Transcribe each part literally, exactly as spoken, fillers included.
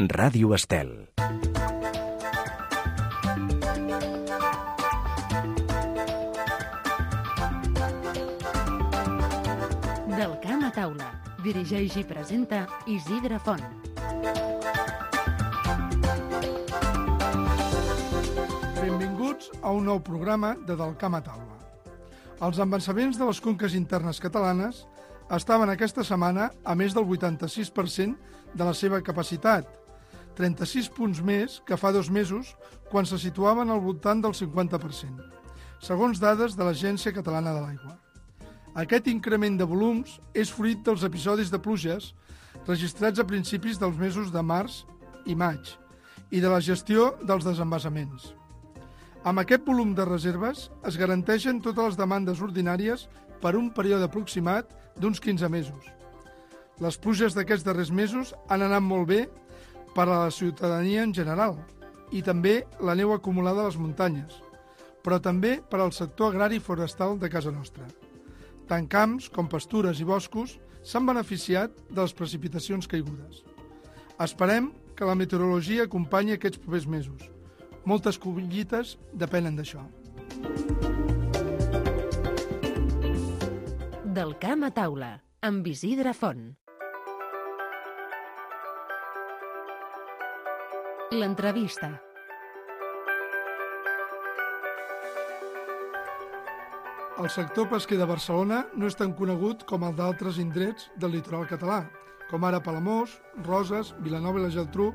Ràdio Estel. Del camp a taula. Dirigeix i presenta Isidre Font. Benvinguts a un nou programa de Del camp a taula. Els avançaments de les conques internes catalanes estaven aquesta setmana a més del vuitanta-sis per cent de la seva capacitat, trenta-sis punts més que fa dos mesos, quan se situaven al voltant del cinquanta per cent, segons dades de l'Agència Catalana de l'Aigua. Aquest increment de volums és fruit dels episodis de pluges registrats a principis dels mesos de març i maig i de la gestió dels desembasaments. Amb aquest volum de reserves es garanteixen totes les demandes ordinàries per un període aproximat d'uns quinze mesos. Les pluges d'aquests darrers mesos han anat molt bé per a la ciutadania en general i també la neu acumulada a les muntanyes, però també per al sector agrari i forestal de casa nostra. Tant camps com pastures i boscos s'han beneficiat de les precipitacions caigudes. Esperem que la meteorologia acompanyi aquests propers mesos. Moltes collites depenen d'això. Del camp a taula, amb Isidre Font. L'entrevista. El sector pesquer de Barcelona no és tan conegut com el d'altres indrets del litoral català, com ara Palamós, Roses, Vilanova i la Geltrú,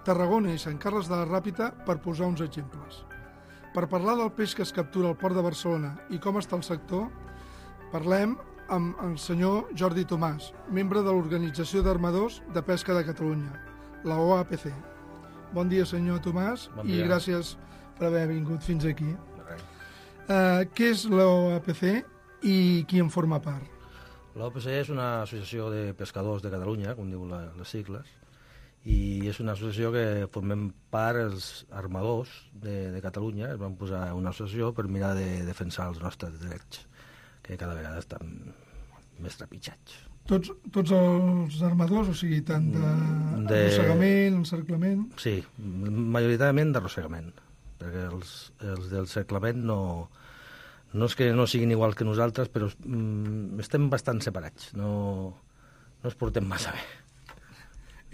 Tarragona i Sant Carles de la Ràpita, per posar uns exemples. Per parlar del peix que es captura al Port de Barcelona i com està el sector, parlem amb el senyor Jordi Tomàs, membre de l'Organització d'Armadors de Pesca de Catalunya, la O A P C. Bon dia, senyor Tomàs, bon dia. I gràcies per haver vingut fins aquí. Uh, què és l'O A P C i qui en forma part? L'O A P C és una associació de pescadors de Catalunya, com diu la, les sigles, i és una associació que formem part els armadors de, de Catalunya. Es van posar una associació per mirar de defensar els nostres drets, que cada vegada estan més trepitjats. Tots, tots els armadors, o sigui, tant d'arrossegament, de... encerclament... Sí, majoritàriament d'arrossegament, perquè els, els del cerclament no, no és que no siguin iguals que nosaltres, però mm, estem bastant separats, no, no es portem massa bé.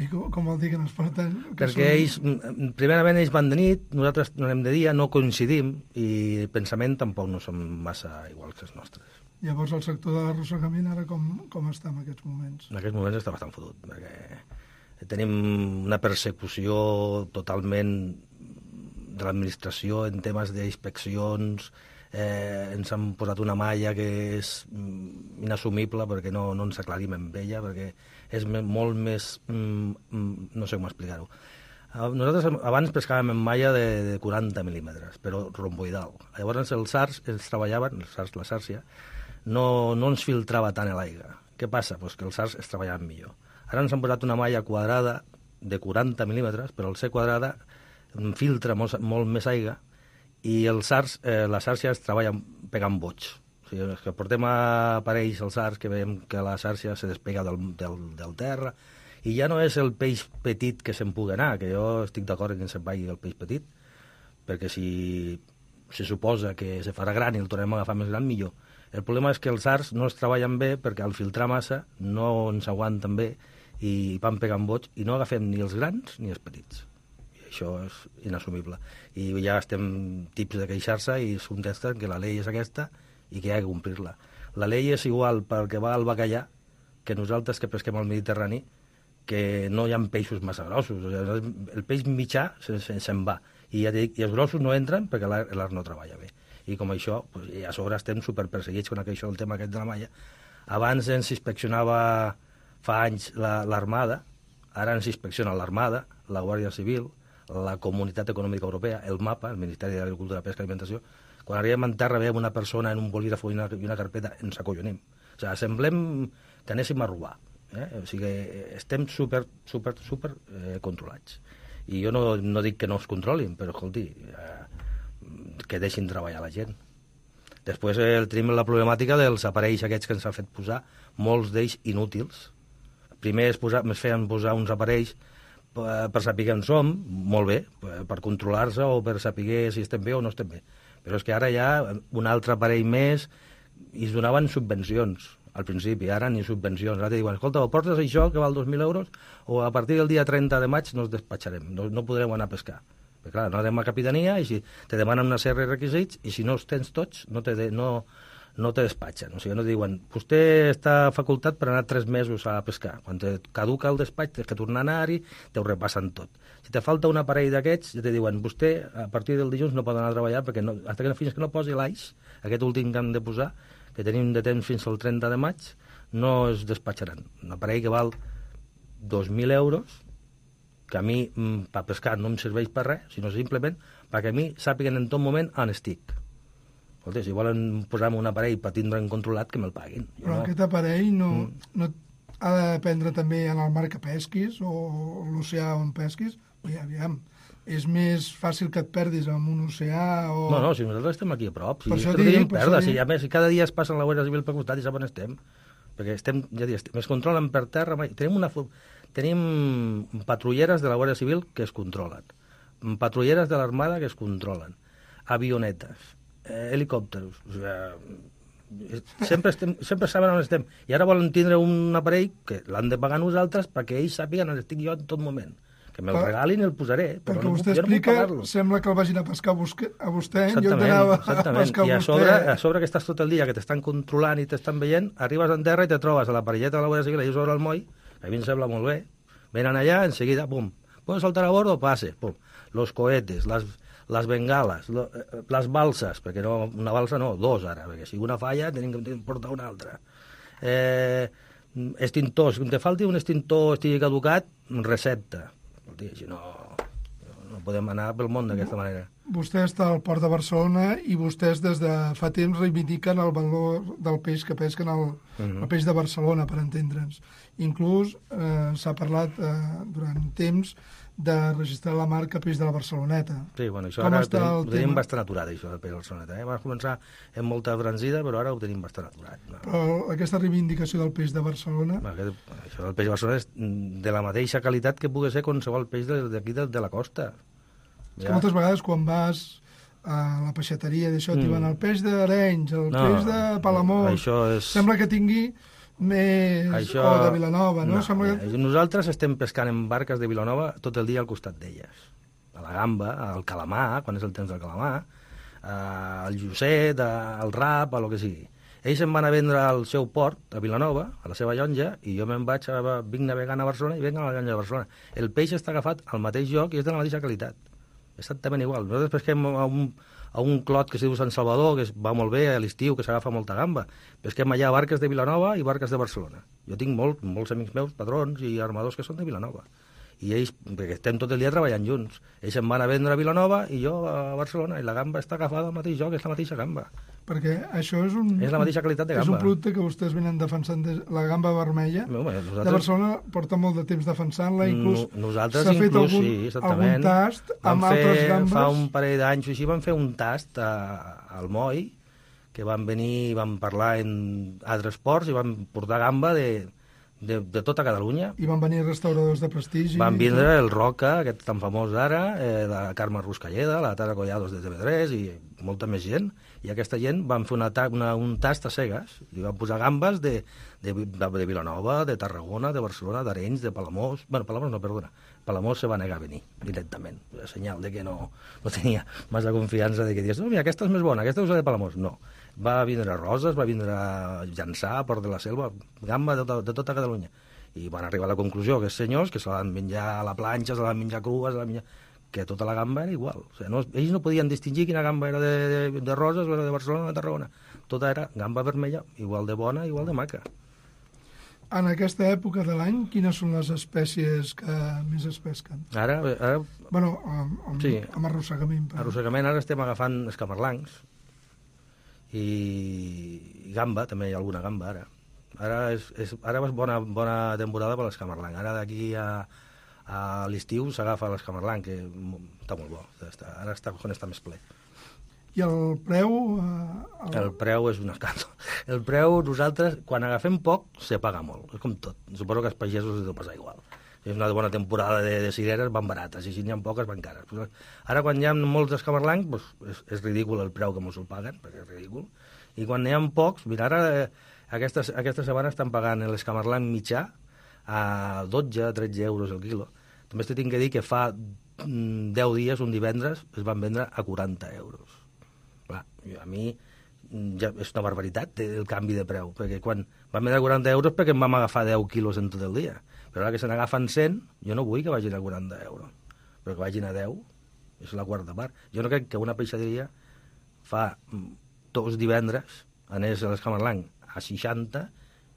I com, com vol dir que no es porten? Que perquè són... ells, primerament ells van de nit, nosaltres no anem de dia, no coincidim, i pensament tampoc no som massa iguals que els nostres. Llavors el sector de l'arrossegament ara com, com està en aquests moments? En aquests moments està bastant fotut, perquè tenim una persecució totalment de l'administració en temes d'inspeccions, eh, ens han posat una malla que és inassumible perquè no, no ens aclarim amb ella, perquè és molt més... Mm, no sé com explicar-ho. Nosaltres abans pescàvem amb malla de, de quaranta mil·límetres, però romboidal. Llavors els sars, els treballaven, els sars, la sàrcia, no, no ens filtrava tant l'aigua. Què passa? Pues que els sars es treballaven millor. Ara ens han posat una malla quadrada de quaranta mil·límetres, però al ser quadrada filtra molt, molt més aigua i els sars, eh, la sàrcia es treballa pegant boig. O sigui, és que portem a aparells als sars que veiem que la sàrcia se despega del, del, del terra i ja no és el peix petit que se'n pugui anar, que jo estic d'acord que se'n vagi el peix petit, perquè si se suposa que se farà gran i el tornem a agafar més gran, millor. El problema és que els sars no es treballen bé perquè al filtrar massa no ens aguanten bé i van pegant boig i no agafem ni els grans ni els petits. Això és inassumible. I ja estem tips de queixar-se i es contesten que la llei és aquesta i que hi ha que complir-la. La llei és igual pel que va al bacallà que nosaltres que pesquem al Mediterrani, que no hi ha peixos massa grossos. O sigui, el peix mitjà se'n se, se'n va. I, ja dic, I els grossos no entren perquè l'art no treballa bé. I com això, pues, i a sobre estem superperseguits con això, el tema aquest de la malla. Abans ens inspeccionava fa anys l'Armada, ara ens inspecciona l'Armada, la Guàrdia Civil, la Comunitat Econòmica Europea, el MAPA, el Ministeri d'Agricultura, Pesca i Alimentació. Quan arribem en terra veiem una persona en un bolígraf i una, i una carpeta, ens acollonim. O sigui, semblem que anéssim a robar. Eh? O sigui, estem super, super, super eh, controlats. I jo no, no dic que no es controlin, però, escolti, eh, que deixin treballar la gent. Després eh, tenim la problemàtica dels aparells aquests que ens han fet posar, molts d'ells inútils. Primer es, posa, es feien posar uns aparells per, per saber on som, molt bé, per controlar-se o per saber si estem bé o no estem bé. Però és que ara hi ha un altre aparell més i es donaven subvencions al principi, ara ni subvencions. Ara te diuen, escolta, o portes això que val dos mil euros o a partir del dia trenta de maig no es despatxarem, no, no podrem anar a pescar. Perquè clar, no anem a capitania i si te demanen una sèrie de requisits i si no els tens tots no te, de, no, no te despatxen. O sigui, no diuen, vostè està facultat per anar tres mesos a pescar. Quan te caduca el despatx, tens que tornar a anar-hi, te ho repassen tot. Si te falta un aparell d'aquests, ja te diuen, vostè a partir del dilluns no pot anar a treballar perquè no, fins que, fins que no posi l'aix, aquest últim que hem de posar, que tenim de temps fins al trenta de maig, no es despatxaran. Un aparell que val dos mil euros, que a mi, per pescar, no em serveix per res, sinó simplement perquè a mi sàpiguen en tot moment on estic. Escolta, si volen posar-me un aparell per tindre'n controlat, que me'l paguin. Jo Però no. aquest aparell no, Mm. no ha de dependre també en el mar que pesquis o l'oceà on pesquis. Ui, aviam, és més fàcil que et perdis en un oceà o... No, no, si nosaltres estem aquí a prop, si Per és això que no dic, tenim per perda, això si dic. a més cada dia es passen la Guàrdia Civil per costat i sap on estem, perquè estem, ja dic, estem, es controlen per terra, mai- tenim una... fu- Tenim patrulleres de la Guàrdia Civil que es controlen, patrulleres de l'Armada que es controlen, avionetes, eh, helicòpteros, o sigui, sempre, estem, sempre saben on estem. I ara volen tindre un aparell que l'han de pagar nosaltres perquè ells sàpiguen on estic jo en tot moment. Que me'l Per- regalin i el posaré, però Perquè no puc, vostè jo no puc explica, pagar-lo. sembla que el vagin a pescar a, busque, a vostè en lloc Exactament, d'anar a exactament. pescar I a a vostè. sobre, a sobre que estàs tot el dia, que t'estan controlant i t'estan veient, arribes en terra i te trobes a la parelleta de la Guàrdia Civil allà sobre el moll, que a mi em sembla molt bé, venen allà, enseguida, pum, ¿puedo saltar a bordo? Pase, pum. Los cohetes, las, las bengalas, lo, eh, les balses, perquè no, una balsa no, dos ara, perquè si una falla tenim que portar una altra. Eh, extintors, que te falti un extintor estigui caducat, recepta. Si no, no podem anar pel món d'aquesta manera. Vostè està al port de Barcelona i vostès des de fa temps reivindiquen el valor del peix que pesquen el, Mhm. el peix de Barcelona, per entendre'ns. Inclús eh, s'ha parlat eh, durant temps de registrar la marca peix de la Barceloneta. Sí, bueno, això Com ara ho està tenim, el ho tenim tema? bastant aturat, això del peix Barceloneta. Eh? Va començar amb molta franzida, però ara ho tenim bastant aturat. No. Però aquesta reivindicació del peix de Barcelona... Va, aquest, això del peix Barcelona és de la mateixa qualitat que pugui ser qualsevol peix de- d'aquí de, de la costa. És que moltes vegades quan vas a la peixateria d'això, Mm. mm. diuen el peix d'Arenys, el No, peix de Palamós... això és... Sembla que tingui més... Això... O de Vilanova, no? no Sembla mira, que... Nosaltres estem pescant en barques de Vilanova tot el dia al costat d'elles. A la gamba, al calamar, quan és el temps del calamar, al llucet, al rap, a lo que sigui. Ells se'n van a vendre al seu port, a Vilanova, a la seva llonja, i jo me'n vaig, a, vinc navegant a Barcelona i vinc a la llonja de Barcelona. El peix està agafat al mateix lloc i és de la mateixa qualitat. Exactament igual. Nosaltres pesquem a un, a un clot que es diu Sant Salvador, que es va molt bé a l'estiu, que s'agafa molta gamba. Pesquem allà barques de Vilanova i barques de Barcelona. Jo tinc molt, molts amics meus, patrons i armadors que són de Vilanova. I ells, perquè estem tot el dia treballant junts, ells se'n van a vendre a Vilanova i jo a Barcelona, i la gamba està agafada al mateix lloc, és la mateixa gamba. Perquè això és un... És la mateixa qualitat de És un gamba. producte que vostès venen defensant, de, la gamba vermella. No, home, De nosaltres, Barcelona porta molt de temps defensant-la, inclús no, nosaltres s'ha fet inclús, algun, sí, exactament. algun tast Vam amb fer, altres gambes. Fa un parell d'anys o així vam fer un tast a, al moll, que van venir, vam parlar en altres ports i vam portar gamba de, de, de tota Catalunya. I van venir restauradors de prestigi. Van vindre el Roca, aquest tan famós ara, eh, la Carme Ruscalleda, la Tara Collados de T V tres i molta més gent, i aquesta gent van fer una, ta una, un tast a cegues, i van posar gambes de, de, de, de Vilanova, de Tarragona, de Barcelona, d'Arenys, de Palamós... Bueno, Palamós no, perdona. Palamós se va negar a venir, directament. Senyal de que no, no tenia massa confiança de que digués, no, mira, aquesta és més bona, aquesta és la de Palamós. No. Va vindre Roses, va vindre Llançà, Port de la Selva, gamba de, de tota Catalunya. I van arribar a la conclusió que els senyors, que se la van menjar a la planxa, se la van menjar crua, se la van menjar... que tota la gamba era igual. O sigui, no, ells no podien distingir quina gamba era de, de, de Roses o era de Barcelona o de Tarragona. Tota era gamba vermella, igual de bona, igual de maca. En aquesta època de l'any, quines són les espècies que més es pesquen? Ara, ara Bueno, amb, amb, Sí. amb arrossegament. Per... arrossegament, ara estem agafant escamarlancs i, i gamba, també hi ha alguna gamba ara. Ara és, és, ara és bona, bona temporada per l'escamarlanc. Ara d'aquí a, a l'estiu s'agafa l'escamarlanc, que està molt bo. Està, ara està, quan està més ple. I el preu... Eh, el... El preu és un escàndol. El preu, nosaltres, quan agafem poc, se paga molt. És com tot. Suposo que als pagesos es deu passar igual. és una bona temporada de, de cireres, van barates, i si n'hi ha poques, van cares. Pues, ara, quan hi ha molts escamarlancs, pues, és, és ridícul el preu que mos el paguen, perquè és ridícul. I quan n'hi ha pocs, mira, ara eh, aquesta, aquesta setmana estan pagant l'escamarlanc mitjà a dotze a tretze euros el quilo. També t'he de dir que fa deu dies, un divendres, es van vendre a quaranta euros. Clar, a mi ja és una barbaritat el canvi de preu, perquè quan van vendre a quaranta euros perquè em vam agafar deu quilos en tot el dia. Però ara que se n'agafen cent, jo no vull que vagin a quaranta euros, però que vagin a deu, és la quarta part. Jo no crec que una peixateria fa dos divendres anés a l'escamarlanc a seixanta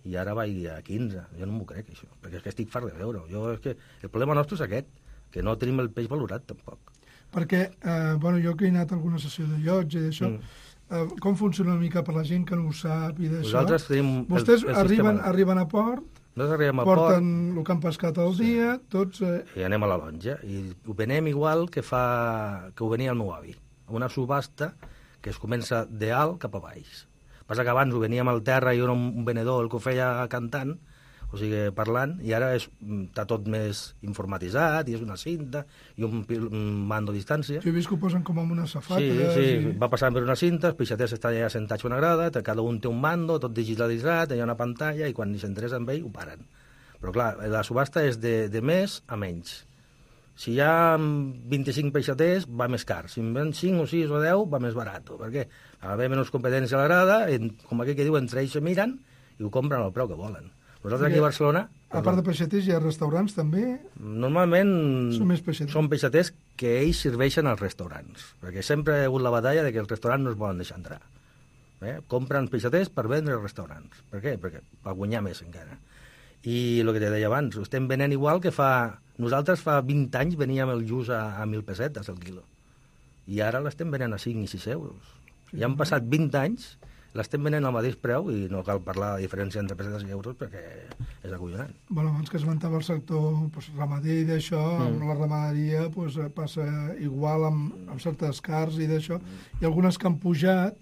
i ara vagi a quinze. Jo no m'ho crec, això, perquè és que estic fart de veure. Jo, és que el problema nostre és aquest, que no tenim el peix valorat, tampoc. Perquè, eh, bueno, jo que he anat a alguna sessió de llotja i d'això, mm. eh, com funciona una mica per la gent que no ho sap i d'això? Nosaltres tenim... Vostès el, el arriben, sistema... arriben a port, Nosaltres arribem a porten port, el que han pescat al sí. dia, tots... Eh... I anem a la lonja. I ho venem igual que fa que ho venia el meu avi. Una subhasta que es comença de alt cap a baix. Passa que abans ho veníem al terra i era un venedor el que ho feia cantant, o sigui, parlant, i ara és, està tot més informatitzat, i és una cinta, i un, un mando a distància. Jo he vist que ho posen com amb unes safates. Sí, sí, i... va passant per una cinta, els peixaters estan allà sentats a una grada, cada un té un mando, tot digitalitzat, hi ha una pantalla, i quan s'interessa amb ell, ho paren. Però clar, la subhasta és de, de més a menys. Si hi ha vint-i-cinc peixaters, va més car. Si en ven cinc o sis o deu, va més barat. Perquè ha d'haver menys competència a la grada, en, com aquell que diu, entre ells se miren i ho compren al preu que volen. Nosaltres aquí a Barcelona... A part de peixaters, hi ha restaurants també? Normalment són, més peixaters. són peixaters que ells serveixen als restaurants, perquè sempre hi ha hagut la batalla de que els restaurants no es volen deixar entrar. Eh? Compren peixaters per vendre als restaurants. Per què? Perquè per guanyar més encara. I el que te deia abans, ho estem venent igual que fa... Nosaltres fa vint anys veníem el lluç a, a mil pessetes el quilo. I ara l'estem venent a cinc i sis euros. Sí, ja han passat vint anys... l'estem venent al mateix preu i no cal parlar de diferència entre pessetes i euros perquè és acollonant. Bueno, abans que esmentava el sector pues, ramader i d'això, mm. amb la ramaderia pues, passa igual amb, amb certes cars i d'això, i algunes que han pujat,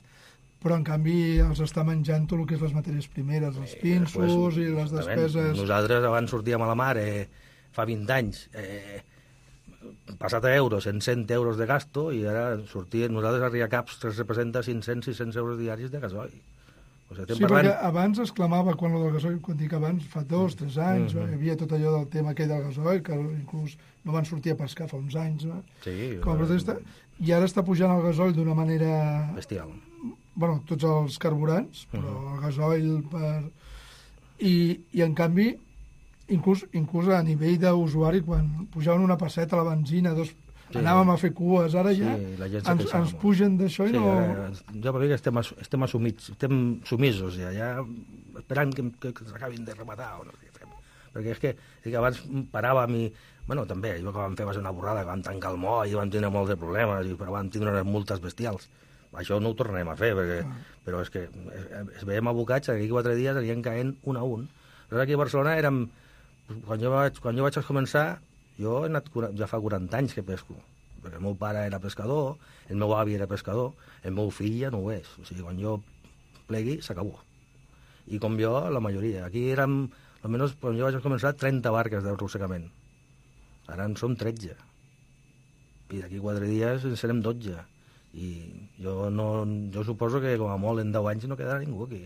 però en canvi els està menjant tot el que és les matèries primeres, els pinsos eh, pues, i les despeses... Nosaltres abans sortíem a la mar eh, fa vint anys... Eh, passat a euros, en cent euros de gasto, i ara sortien, nosaltres a Riacaps tres representa cinc-cents a sis-cents euros diaris de gasoil. O sigui, sí, parlant... perquè abans es clamava, quan el del gasoil, quan dic abans, fa dos, tres anys, mm -hmm. hi havia tot allò del tema aquell del gasoil, que inclús no van sortir a pescar fa uns anys, no? Sí. Com a protesta, i ara està pujant el gasoil d'una manera... bestial. Bueno, tots els carburants, però mm -hmm. el gasoil per... I, i en canvi... Inclús, inclús a nivell d'usuari, quan pujaven una passeta a la benzina, dos, sí, anàvem a fer cues, ara ja sí, ens, ens pugen d'això i sí, no... Ara, jo per mi que estem, estem assumits, estem sumisos ja, ja esperant que, que, que s'acabin de rematar o no sé què fem. Perquè és que, és que abans paràvem i... Bueno, també, allò que vam fer va ser una borrada, que vam tancar el moll i vam tenir molts de problemes, i, però vam tindre unes multes bestials. Això no ho tornarem a fer, perquè, ah. però és que es, es veiem abocats, aquí quatre dies anirien caent un a un. Però aquí a Barcelona érem... Quan jo, vaig, quan jo vaig començar, jo he anat, ja fa quaranta anys que pesco, perquè el meu pare era pescador, el meu avi era pescador, el meu fill ja no ho és. O sigui, quan jo plegui, s'acabó. I com jo, la majoria. Aquí érem, almenys quan jo vaig començar, trenta barques d'arrossegament. Ara en som tretze. I d'aquí quatre dies en serem dotze. I jo, no, jo suposo que com a molt en deu anys no quedarà ningú aquí.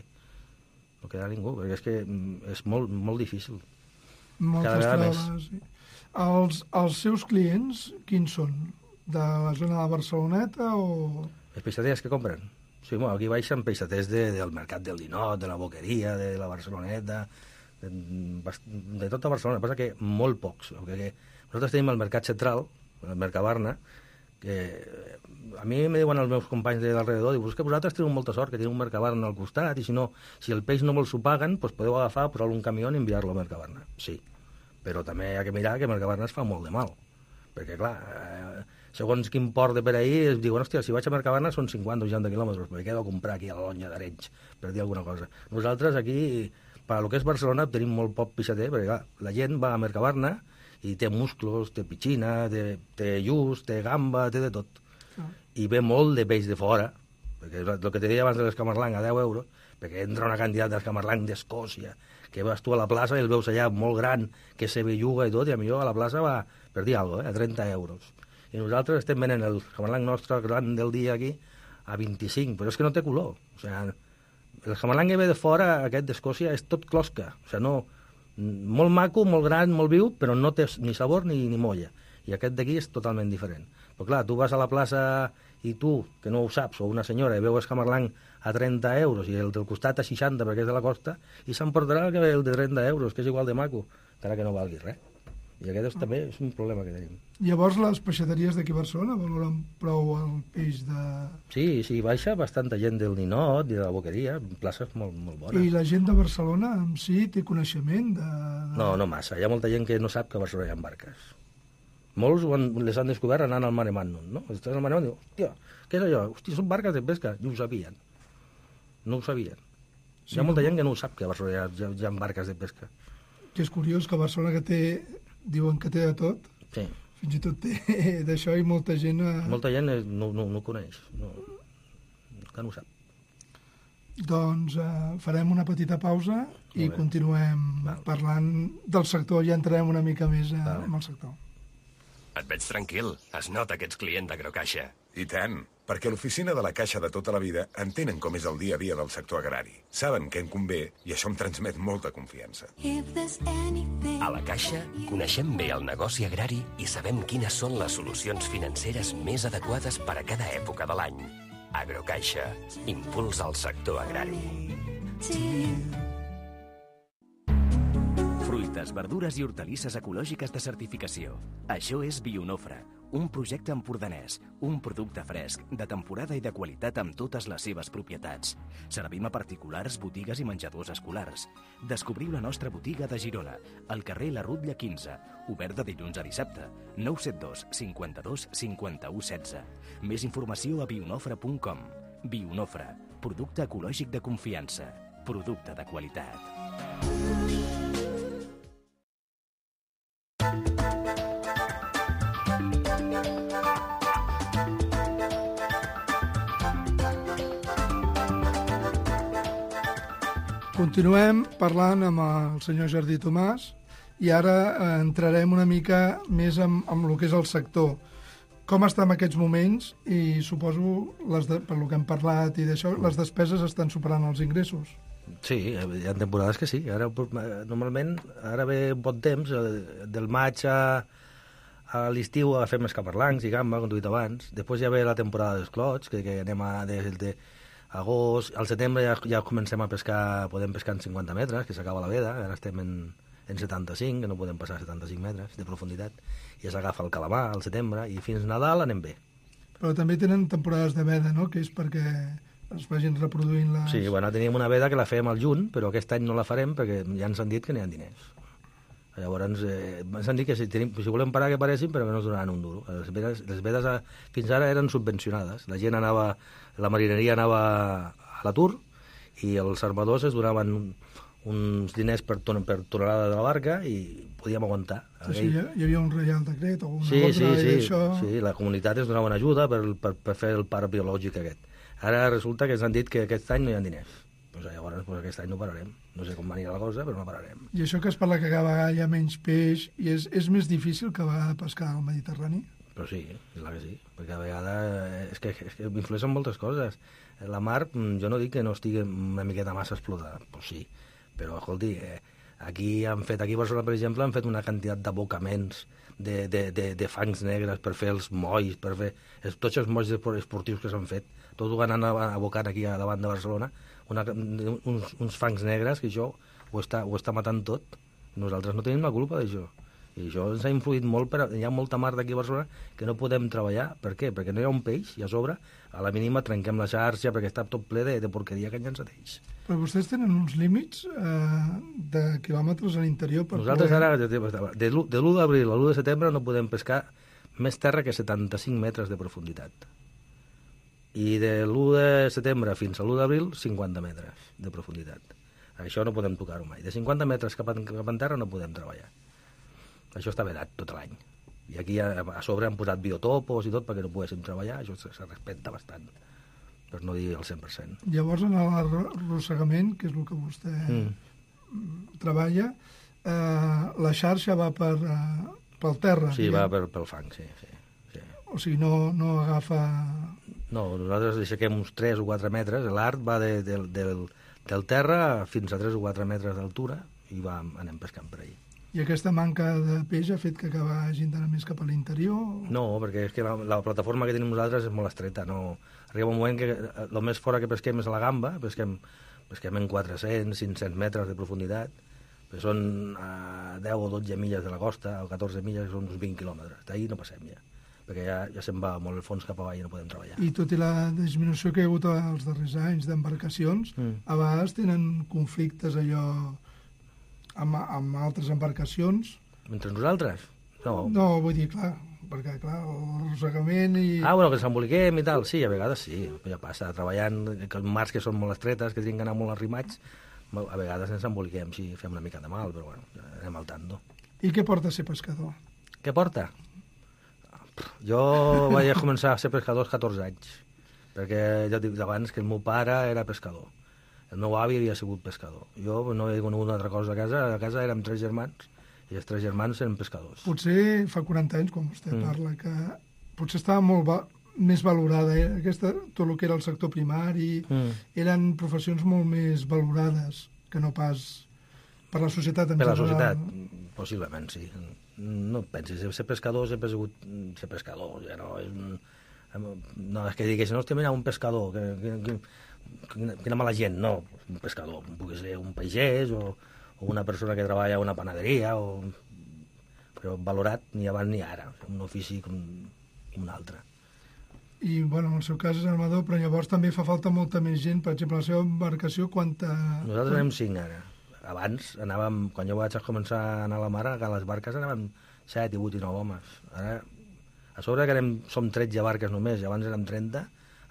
No quedarà ningú, perquè és que és molt, molt difícil. Moltes traves. Sí. Els, els seus clients, quins són? De la zona de Barceloneta o...? Els peixaters que compren? Sí, bueno, aquí baixen peixaters de, del mercat del Ninot, de la Boqueria, de la Barceloneta, de, de tota Barcelona. Passa que molt pocs. Perquè nosaltres tenim el mercat central, el Mercabarna, que a mi me diuen els meus companys de l'alrededor, diu, és que vosaltres teniu molta sort, que teniu un Mercabarna al costat, i si no, si el peix no me'l s'ho paguen, doncs podeu agafar, posar-lo un camió i enviar-lo a Mercabarna. Sí, però també hi ha que mirar que Mercabarna es fa molt de mal, perquè, clar, eh, segons quin port de per ahir, es diuen, hòstia, si vaig a Mercabarna són cinquanta o seixanta quilòmetres, però he quedat a comprar aquí a la Lonja d'Arenys, per dir alguna cosa. Nosaltres aquí, per lo que és Barcelona, tenim molt poc peixater, perquè, clar, la gent va a Mercabarna i té musclos, té pitxina, té, té lluç, té gamba, té de tot. Ah. I ve molt de peix de fora, perquè el que te deia abans de l'escamarlang a deu euros, perquè entra una quantitat d'escamarlang d'Escòcia, que vas tu a la plaça i el veus allà molt gran, que se belluga i tot, i a millor a la plaça va, per dir alguna cosa, eh, a trenta euros. I nosaltres estem venent el jamallang nostre gran del dia aquí a vint-i-cinc, però és que no té color. O sigui, el jamallang que ve de fora, aquest d'Escòcia, és tot closca. O sigui, no, molt maco, molt gran, molt viu, però no té ni sabor ni, ni molla. I aquest d'aquí és totalment diferent. Però clar, tu vas a la plaça i tu, que no ho saps, o una senyora, i veus jamallang a trenta euros i el del costat a seixanta perquè és de la costa, i s'emportarà el que ve el de trenta euros, que és igual de maco, encara que no valgui res. I aquest és, també és un problema que tenim. Llavors, les peixateries d'aquí a Barcelona valoren prou el peix de... Sí, sí, baixa bastanta gent del Ninot i de la Boqueria, places molt, molt bones. I la gent de Barcelona en si té coneixement de... de... No, no massa. Hi ha molta gent que no sap que a Barcelona hi ha barques. Molts han, les han descobert anant al Mare Magnum, no? Estàs al Mare Magnum i dius, hòstia, què és allò? Hòstia, són barques de pesca. I ho sabien. No ho sabien. Sí, hi ha molta no? gent que no ho sap, que a Barcelona hi ha, hi ha, hi ha barques de pesca. Que és curiós que a Barcelona, que té, diuen que té de tot, sí. Fins i tot té d'això i molta gent... A... Molta gent no, no, no ho coneix, no, que no ho sap. Doncs eh, farem una petita pausa i continuem Val. parlant del sector, ja entrarem una mica més eh, en el sector. Et veig tranquil, es nota que ets client d'Agrocaixa. I tant, perquè l'oficina de la Caixa de tota la vida entenen com és el dia a dia del sector agrari. Saben què en convé i això em transmet molta confiança. A la Caixa coneixem bé el negoci agrari i sabem quines són les solucions financeres més adequades per a cada època de l'any. Agrocaixa, impuls al sector agrari. Fruites, verdures i hortalisses ecològiques de certificació. Això és Bionofre, un projecte empordanès, un producte fresc, de temporada i de qualitat amb totes les seves propietats. Servim a particulars, botigues i menjadors escolars. Descobriu la nostra botiga de Girona, al carrer La Rutlla quinze, obert de dilluns a dissabte, nou set dos, cinquanta-dos, cinquanta-u, setze. Més informació a bionofre punt com. Bionofre, producte ecològic de confiança, producte de qualitat. Continuem parlant amb el senyor Jardí Tomàs i ara entrarem una mica més amb, amb el que és el sector. Com està en aquests moments i suposo, les de, per lo que hem parlat i d'això, les despeses estan superant els ingressos. Sí, hi ha temporades que sí. Ara, normalment, ara ve un bon temps, del maig a, a l'estiu a fer més caparlancs i gamba, com tu he dit abans. Després ja ve la temporada dels clots, que, que anem a... des de agost, al setembre ja, ja comencem a pescar, podem pescar en cinquanta metres, que s'acaba la veda, ara estem en, en setanta-cinc, que no podem passar setanta-cinc metres de profunditat, i ja s'agafa el calamar al setembre, i fins Nadal anem bé. Però també tenen temporades de veda, no?, que és perquè es vagin reproduint les... Sí, bueno, teníem una veda que la fèiem al juny, però aquest any no la farem perquè ja ens han dit que n'hi ha diners. Llavors, eh, ens han dit que si, tenim, si volem parar que paressin, però que no ens donaran un duro. Les vedes, les vedes a, fins ara eren subvencionades. La gent anava, la marineria anava a l'atur i els armadors es donaven uns diners per, ton, per tonelada de la barca i podíem aguantar. Sí, sí, hi havia un reial decret o una sí, ordre sí, sí, d'això... Sí, la comunitat es donava una ajuda per, per, per fer el parc biològic aquest. Ara resulta que ens han dit que aquest any no hi ha diners. Pues llavors pues aquest any no pararem. No sé com anirà la cosa, però no pararem. I això que es parla que cada vegada hi ha menys peix i és, és més difícil que va pescar al Mediterrani? Però sí, és la que sí, perquè a vegades és que, és que influeixen moltes coses. La mar, jo no dic que no estigui una miqueta massa explotada, doncs sí, però, escolti, eh, aquí han fet, aquí a Barcelona, per exemple, han fet una quantitat d'abocaments de, de, de, de fangs negres per fer els molls, per fer els, tots els molls esportius que s'han fet, tot ho van anar abocant aquí a davant de Barcelona, una, uns, uns fangs negres que això ho està, ho està matant tot. Nosaltres no tenim la culpa d'això. I això ens ha influït molt, però hi ha molta mar d'aquí a Barcelona que no podem treballar. Per què? Perquè no hi ha un peix i a sobre, a la mínima, trenquem la xarxa perquè està tot ple de, de porqueria que ens ateix. Però vostès tenen uns límits eh, de quilòmetres a l'interior per Nosaltres poder... ara, de, de l'u d'abril a l'u de setembre, no podem pescar més terra que setanta-cinc metres de profunditat. I de l'u de setembre fins a l'u d'abril, cinquanta metres de profunditat. Això no podem tocar-ho mai. De cinquanta metres cap a, cap a terra no podem treballar. Això està vedat tot l'any. I aquí a, a sobre han posat biotopos i tot perquè no poguéssim treballar. Això se, se respecta bastant, per no dir el cent per cent. Llavors, en l'arrossegament, que és el que vostè mm. treballa, eh, la xarxa va per, eh, pel terra. Sí, diguem. va per, pel fang, sí, sí, sí. O sigui, no, no agafa... No, nosaltres aixequem uns tres o quatre metres, l'art va de, de, del, del terra fins a tres o quatre metres d'altura i va, anem pescant per ahí. I aquesta manca de peix ha fet que acaba hagin d'anar més cap a l'interior? No, perquè és que la, la plataforma que tenim nosaltres és molt estreta. No. Arriba un moment que el més fora que pesquem és a la gamba, pesquem, pesquem en quatre-cents, cinc-cents metres de profunditat, que són a deu o dotze milles de la costa, o catorze milles, que són uns vint quilòmetres. D'ahir no passem ja, perquè ja, ja se'n va molt el fons cap avall i no podem treballar. I tot i la disminució que hi ha hagut els darrers anys d'embarcacions, mm. a vegades tenen conflictes allò amb, amb altres embarcacions? Entre nosaltres? No. No, vull dir, clar, perquè, clar, l'arrossegament i... Ah, bueno, que ens emboliquem i tal, sí, a vegades sí, ja passa, treballant, que mars que són molt estretes, que tenen que anar molt arrimats, a vegades ens emboliquem, sí, fem una mica de mal, però bueno, anem al tanto. I què porta a ser pescador? Què porta? Jo vaig començar a ser pescador als catorze anys, perquè ja dic abans que el meu pare era pescador. El meu avi havia sigut pescador. Jo no he conegut una altra cosa a casa. A casa érem tres germans, i els tres germans eren pescadors. Potser fa quaranta anys, quan vostè mm. parla, que potser estava molt va més valorada. Eh? Aquesta, tot el que era el sector primari, mm. eren professions molt més valorades que no pas per la societat en per general. Per la societat, possiblement, sí. No et pensis, ser pescador sempre ha sigut ser pescador, ja no és un... No, és que diguessin, hòstia, mira, un pescador, que, que, que, quina, quina mala gent, no, un pescador, pugui ser un pagès o, o una persona que treballa a una panaderia, o... però valorat ni abans ni ara, un ofici com un altre. I, bueno, en el seu cas és armador, però llavors també fa falta molta més gent, per exemple, la seva embarcació, quanta... Nosaltres anem cinc ara. Abans anàvem, quan jo vaig començar a anar a la mar, a les barques anàvem set, vuit i nou homes. Ara, a sobre que anem, som tretze barques només, i abans érem trenta,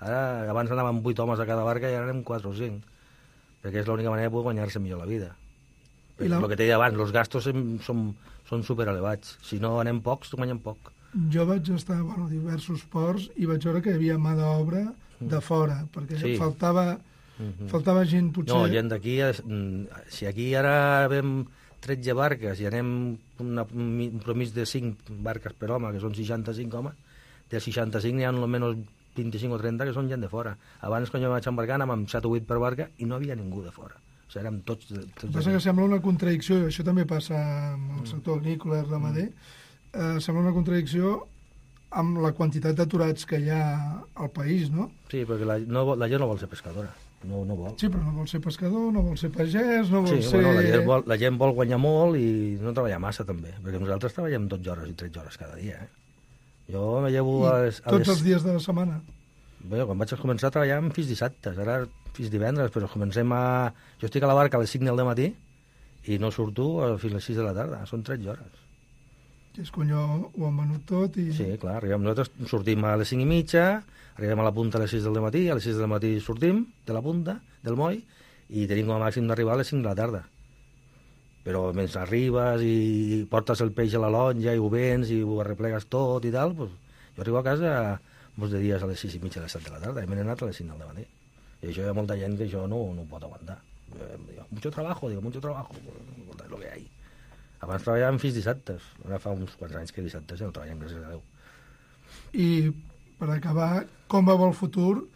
ara abans anàvem vuit homes a cada barca i ara anem quatre o cinc, perquè és l'única manera de poder guanyar-se millor la vida. I la... El que t'he dit abans, els gastos són, són superelevats. Si no anem pocs, guanyem poc. Jo vaig estar bueno, a diversos ports i vaig veure que hi havia mà d'obra de fora, perquè sí. faltava... Uh-huh. Faltava gent, potser... No, gent d'aquí... Si aquí ara vam tretze barques i anem una, un promís de cinc barques per home, que són seixanta-cinc homes, de seixanta-cinc n'hi ha almenys vint-i-cinc o trenta que són gent de fora. Abans, quan jo vaig embarcar, anàvem amb set o vuit per barca i no havia ningú de fora. O sigui, érem tots... tots passa que sembla una contradicció, i això també passa amb el sector agrícola i ramader, mm. eh, sembla una contradicció amb la quantitat d'aturats que hi ha al país, no? Sí, perquè la, no, la gent no vol ser pescadora. No, no vol. Sí, però no vol ser pescador, no vol ser pagès, no vol sí, ser... Bueno, la, gent vol, la gent vol guanyar molt i no treballar massa, també, perquè nosaltres treballem dotze hores i tretze hores cada dia, eh? Jo me llevo I a les... A tots les... els dies de la setmana? Bé, quan vaig començar a treballar fins dissabtes, ara fins divendres, però comencem a... Jo estic a la barca a les cinc del matí i no surto fins a les sis de la tarda, són tretze hores. Que és quan jo ho han venut tot i... Sí, clar, arribem, nosaltres sortim a les cinc i mitja, arribem a la punta a les sis del matí, a les sis del matí sortim de la punta, del moll, i tenim com a màxim d'arribar a les cinc de la tarda. Però mentre arribes i portes el peix a la lonja i ho vens i ho arreplegues tot i tal, pues, jo arribo a casa molts de dies a les sis i mitja, a les set de la tarda, i m'he anat a les cinc del matí. I això hi ha molta gent que això no, no ho pot aguantar. Digo, mucho trabajo, digo, mucho trabajo, pues, es lo que hay. Abans treballàvem fins dissabtes, ara fa uns quants anys que dissabtes ja no treballem, gràcies a Déu. I per acabar, com va el futur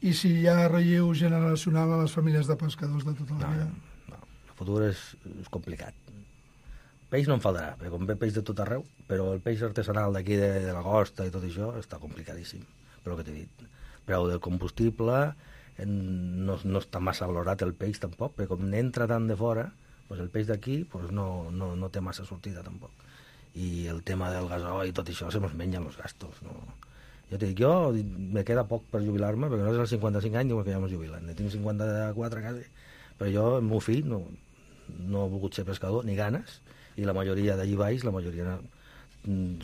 i si hi ha relleu generacional a les famílies de pescadors de tota la no, vida? No, el futur és, és complicat. Peix no em faltarà, perquè com ve peix de tot arreu, però el peix artesanal d'aquí de, de la costa i tot això està complicadíssim, per el que t'he dit. Preu del combustible, en, no, no està massa valorat el peix tampoc, perquè com n'entra tant de fora, pues el peix d'aquí pues no, no, no té massa sortida tampoc. I el tema del gasoil i tot això se mos mengen els gastos. No? Jo te dic, jo me queda poc per jubilar-me, perquè no és als cinquanta-cinc anys diuen que ja mos jubilen. Ne tinc cinquanta-quatre quasi, però jo, el meu fill, no, no ha volgut ser pescador, ni ganes, i la majoria d'allí baix, la majoria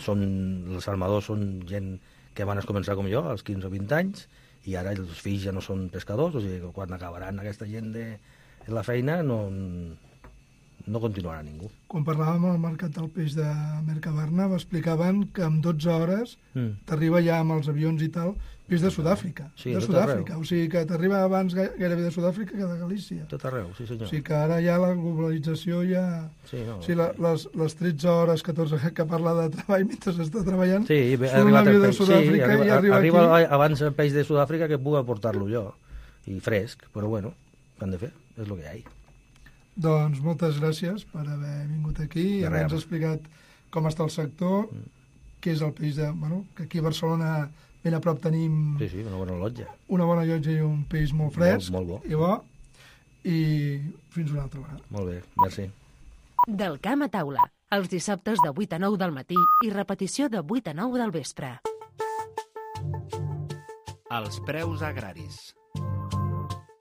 són, els armadors són gent que van començar com jo, als quinze o vint anys, i ara els fills ja no són pescadors, o sigui que quan acabaran aquesta gent de la feina no... no continuarà ningú. Quan parlàvem al mercat del peix de Mercabarna m'explicaven que en dotze hores mm. t'arriba ja amb els avions i tal peix de Sud-àfrica. Sí, de Sud-àfrica. O sigui que t'arriba abans gairebé de Sud-àfrica que de Galícia. Tot arreu, sí senyor. O sigui que ara ja la globalització ja... Sí, no, o sigui, la, les, les tretze hores, catorze que parla de treball mentre s'està treballant, sí, surt un avió de Sud-àfrica sí, arriba, i arriba, arriba aquí... abans el peix de Sud-àfrica que puc aportar-lo jo. I fresc, però bueno, què han de fer? És el que hi ha. Doncs moltes gràcies per haver vingut aquí i haver-nos explicat com està el sector, mm. què és el peix de... Bueno, que aquí a Barcelona ben a prop tenim... Sí, sí, una bona llotja. Una bona llotja i un peix molt fresc. Molt, molt bo. I bo. I fins una altra vegada. Molt bé, merci. Del camp a taula, els dissabtes de vuit a nou del matí i repetició de vuit a nou del vespre. Els preus agraris.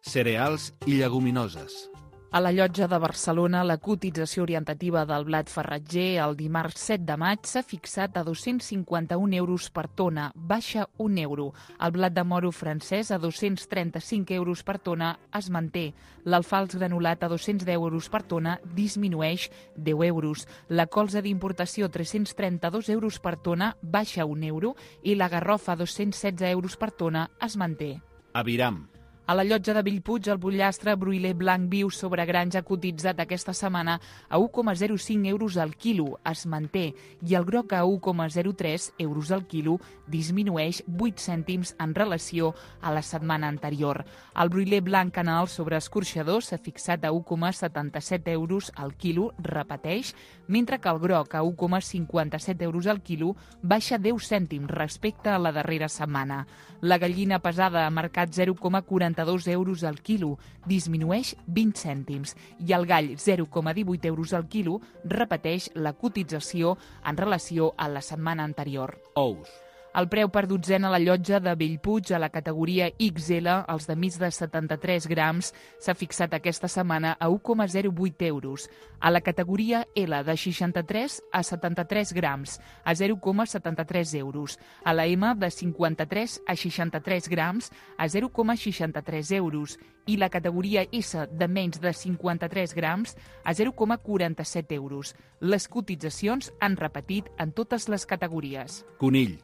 Cereals i lleguminoses. A la Llotja de Barcelona, la cotització orientativa del blat farratger el dimarts set de maig s'ha fixat a dos-cents cinquanta-un euros per tona, baixa un euro. El blat de moro francès a dos-cents trenta-cinc euros per tona es manté. L'alfals granulat a dos-cents deu euros per tona disminueix deu euros. La colza d'importació a tres-cents trenta-dos euros per tona baixa un euro i la garrofa a dos-cents setze euros per tona es manté. Aviram. A la Llotja de Bellpuig, el butllastre broiler blanc viu sobre granja ha cotitzat aquesta setmana a un coma zero cinc euros al quilo, es manté, i el groc a un coma zero tres euros al quilo disminueix vuit cèntims en relació a la setmana anterior. El broiler blanc canal sobre escorxador s'ha fixat a un coma setanta-set euros al quilo, repeteix, mentre que el groc a un coma cinquanta-set euros al quilo baixa deu cèntims respecte a la darrera setmana. La gallina pesada a mercat zero coma quaranta-dos euros al quilo, disminueix vint cèntims, i el gall zero coma divuit euros al quilo repeteix la cotització en relació a la setmana anterior. Ous. El preu per dotzena a la Llotja de Bellpuig a la categoria ics ele, els de més de setanta-tres grams, s'ha fixat aquesta setmana a un coma zero vuit euros. A la categoria ele de seixanta-tres a setanta-tres grams, a zero coma setanta-tres euros. A la eme de cinquanta-tres a seixanta-tres grams, a zero coma seixanta-tres euros. I la categoria esse de menys de cinquanta-tres grams a zero coma quaranta-set euros. Les cotitzacions han repetit en totes les categories. Conill.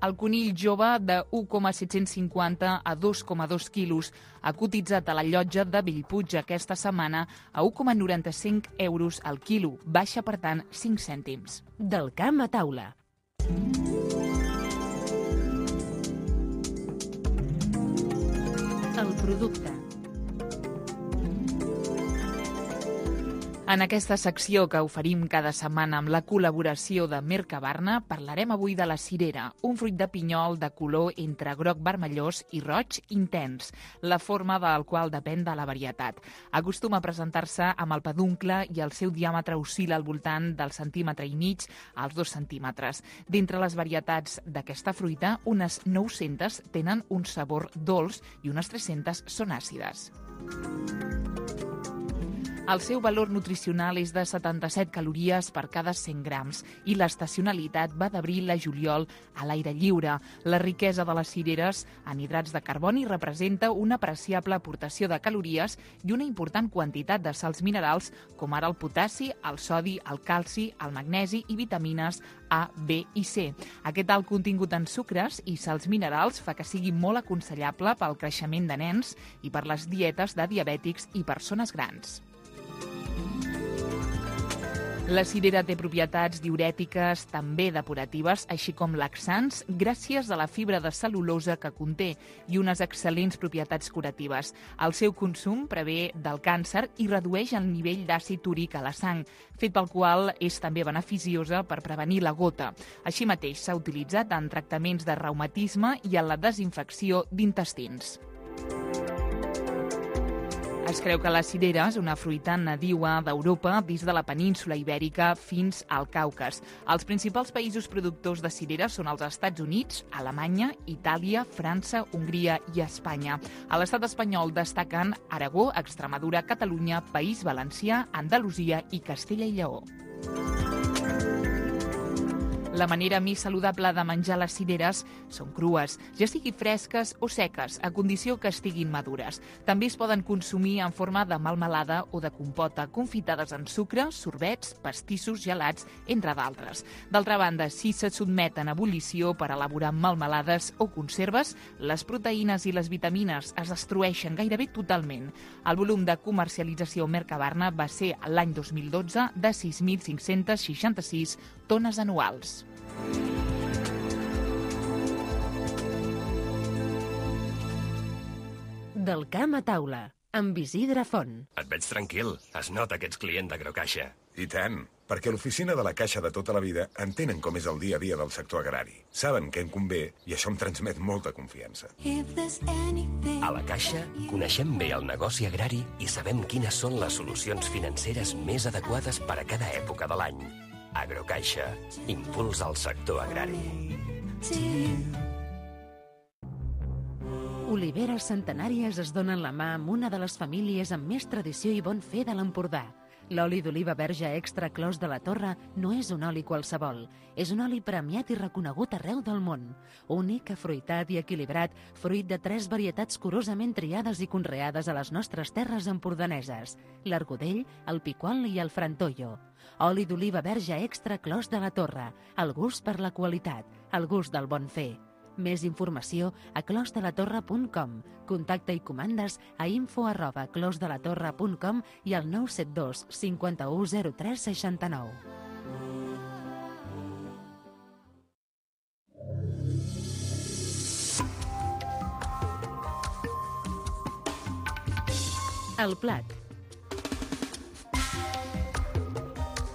El conill jove de un coma set-cents cinquanta a dos coma dos quilos ha cotitzat a la Llotja de Bellpuig aquesta setmana a un coma noranta-cinc euros al quilo, baixa per tant cinc cèntims. Del camp a taula. El producte. En aquesta secció que oferim cada setmana amb la col·laboració de Mercabarna, parlarem avui de la cirera, un fruit de pinyol de color entre groc vermellós i roig intens, la forma del qual depèn de la varietat. Acostuma a presentar-se amb el peduncle i el seu diàmetre oscil·la al voltant del centímetre i mig als dos centímetres. D'entre les varietats d'aquesta fruita, unes nou-centes tenen un sabor dolç i unes tres-centes són àcides. El seu valor nutricional és de setanta-set calories per cada cent grams i l'estacionalitat va d'abril a juliol a l'aire lliure. La riquesa de les cireres en hidrats de carboni representa una apreciable aportació de calories i una important quantitat de sals minerals com ara el potassi, el sodi, el calci, el magnesi i vitamines A, B i C. Aquest alt contingut en sucres i sals minerals fa que sigui molt aconsellable pel creixement de nens i per les dietes de diabètics i persones grans. La cirera té propietats diürètiques, també depuratives, així com laxants, gràcies a la fibra de cel·lulosa que conté i unes excel·lents propietats curatives. El seu consum prevé del càncer i redueix el nivell d'àcid úric a la sang, fet pel qual és també beneficiosa per prevenir la gota. Així mateix s'ha utilitzat en tractaments de reumatisme i en la desinfecció d'intestins. Es creu que la cirera és una fruita nadiua d'Europa des de la península Ibèrica fins al Caucas. Els principals països productors de cirera són els Estats Units, Alemanya, Itàlia, França, Hongria i Espanya. A l'estat espanyol destaquen Aragó, Extremadura, Catalunya, País Valencià, Andalusia i Castella i Lleó. La manera més saludable de menjar les cireres són crues, ja sigui fresques o seques, a condició que estiguin madures. També es poden consumir en forma de melmelada o de compota, confitades en sucre, sorbets, pastissos, gelats, entre d'altres. D'altra banda, si se sotmeten a ebullició per elaborar melmelades o conserves, les proteïnes i les vitamines es destrueixen gairebé totalment. El volum de comercialització Mercabarna va ser l'any dos mil dotze de sis mil cinc-cents seixanta-sis tones anuals. Del camp a taula, amb Isidre Font. Et veig tranquil. Es nota que ets client d'Agrocaixa. I tant, perquè l'oficina de la Caixa de tota la vida entenen com és el dia a dia del sector agrari. Saben què en convé i això em transmet molta confiança. A la Caixa coneixem bé el negoci agrari i sabem quines són les solucions financeres més adequades per a cada època de l'any. Agrocaixa, impuls al sector agrari. Oliveres centenàries es donen la mà amb una de les famílies amb més tradició i bon fer de l'Empordà. L'oli d'oliva verge extra Clos de la Torre no és un oli qualsevol. És un oli premiat i reconegut arreu del món. Únic, afruitat i equilibrat, fruit de tres varietats curosament triades i conreades a les nostres terres empordaneses: l'Argudell, el Piquol i el Frantollo. Oli d'oliva verge extra Clos de la Torre. El gust per la qualitat, el gust del bon fer. Més informació a clos de la torre punt com. Contacte i comandes a info arroba clos de la torre punt com i al nou set dos cinquanta-u zero tres seixanta-nou. El plat.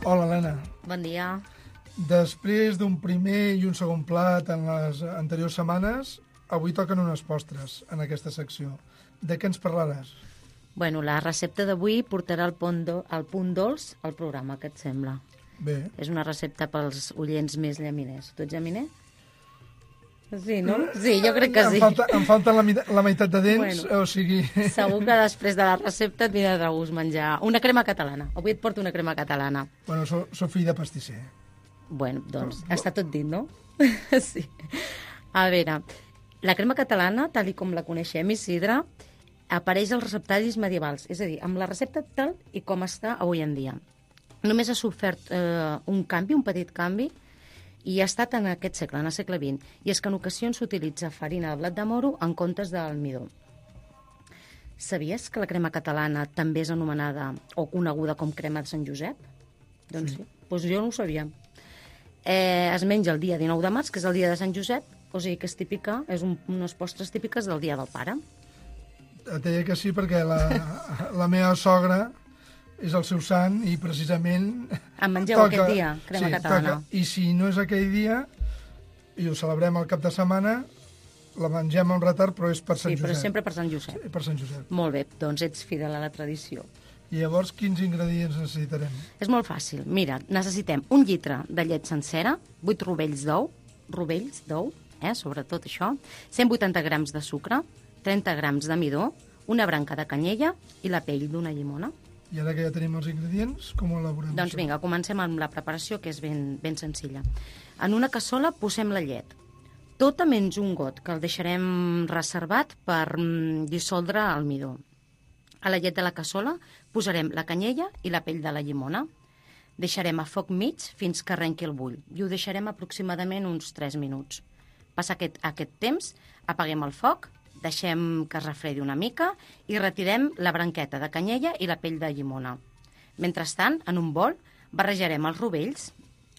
Hola, Helena. Bon dia. Després d'un primer i un segon plat en les anteriors setmanes, avui toquen unes postres en aquesta secció. De què ens parlaràs? Bueno, la recepta d'avui portarà el punt, do, el punt dolç al programa, què et sembla? Bé. És una recepta pels oients més llaminers. Tu ets llaminer? Sí, no? Sí, jo crec que sí. Em falta, em falta la, la meitat de dents, bueno, o sigui... Segur que després de la recepta et vindrà de gust menjar una crema catalana. Avui et porto una crema catalana. Bueno, soc so fill de pastisser. Bueno, doncs, no, està tot dit, no? Sí. A veure, la crema catalana, tal com la coneixem, Isidre, apareix als receptaris medievals, és a dir, amb la recepta tal i com està avui en dia. Només ha sofert eh, un canvi, un petit canvi, i ha estat en aquest segle, en el segle vint, i és que en ocasions s'utilitza farina de blat de moro en comptes d'almidó. Sabies que la crema catalana també és anomenada o coneguda com crema de Sant Josep? Doncs sí, sí. Doncs jo no ho sabia. Eh, es menja el dia dinou de març, que és el dia de Sant Josep, o sigui que és típica, és un, unes postres típiques del dia del pare. Et deia que sí perquè la, la meva sogra és el seu sant i precisament... En mengeu toca, aquest dia, crema sí, catalana. Toca. I si no és aquell dia, i ho celebrem al cap de setmana, la mengem amb retard, però és per Sant sí, Josep. Sí, però sempre per Sant Josep. Sí, per Sant Josep. Molt bé, doncs ets fidel a la tradició. I llavors, quins ingredients necessitarem? És molt fàcil. Mira, necessitem un litre de llet sencera, vuit rovells d'ou, rovells d'ou, eh, sobretot això, cent vuitanta grams de sucre, trenta grams de midó, una branca de canyella i la pell d'una llimona. I ara que ja tenim els ingredients, com ho elaborem? Doncs vinga, comencem amb la preparació, que és ben, ben senzilla. En una cassola posem la llet, tota menys un got, que el deixarem reservat per mm, dissoldre el midó. A la llet de la cassola posarem la canyella i la pell de la llimona. Deixarem a foc mig fins que arrenqui el bull i ho deixarem aproximadament uns tres minuts. Passa aquest, aquest temps, apaguem el foc, deixem que es refredi una mica i retirem la branqueta de canyella i la pell de llimona. Mentrestant, en un bol, barrejarem els rovells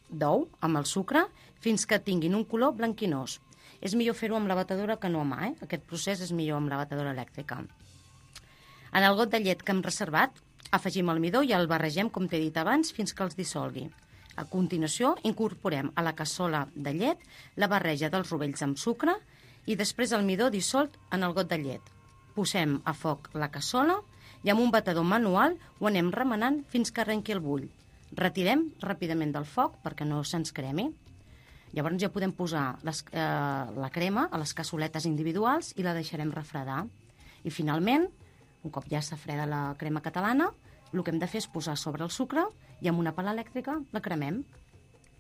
d'ou amb el sucre fins que tinguin un color blanquinós. És millor fer-ho amb la batedora que no a mà, eh? Aquest procés és millor amb la batedora elèctrica. En el got de llet que hem reservat, afegim el midó i el barregem, com t'he dit abans, fins que els dissolgui. A continuació, incorporem a la cassola de llet la barreja dels rovells amb sucre i després el midó dissolt en el got de llet. Posem a foc la cassola i amb un batedor manual ho anem remenant fins que arrenqui el bull. Retirem ràpidament del foc perquè no se'ns cremi. Llavors ja podem posar les, eh, la crema a les cassoletes individuals i la deixarem refredar. I finalment, un cop ja està freda la crema catalana, el que hem de fer és posar sobre el sucre i amb una pala elèctrica la cremem.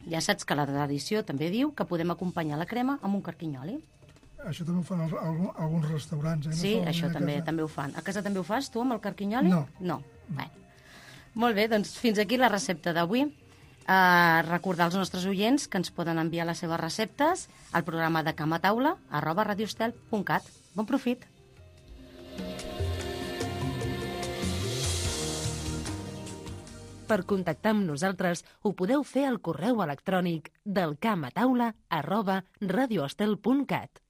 Ja saps que la tradició també diu que podem acompanyar la crema amb un carquinyoli. Això també ho fan els, alguns restaurants, eh? No Sí, això també també ho fan. A casa també ho fas, tu, amb el carquinyoli? No. No. Bé. Molt bé, doncs fins aquí la recepta d'avui. Uh, recordar als nostres oients que ens poden enviar les seves receptes al programa de Cama Taula arroba radiostel punt cat. Bon profit! Per contactar amb nosaltres ho podeu fer al correu electrònic del camataula arroba radiostel punt cat.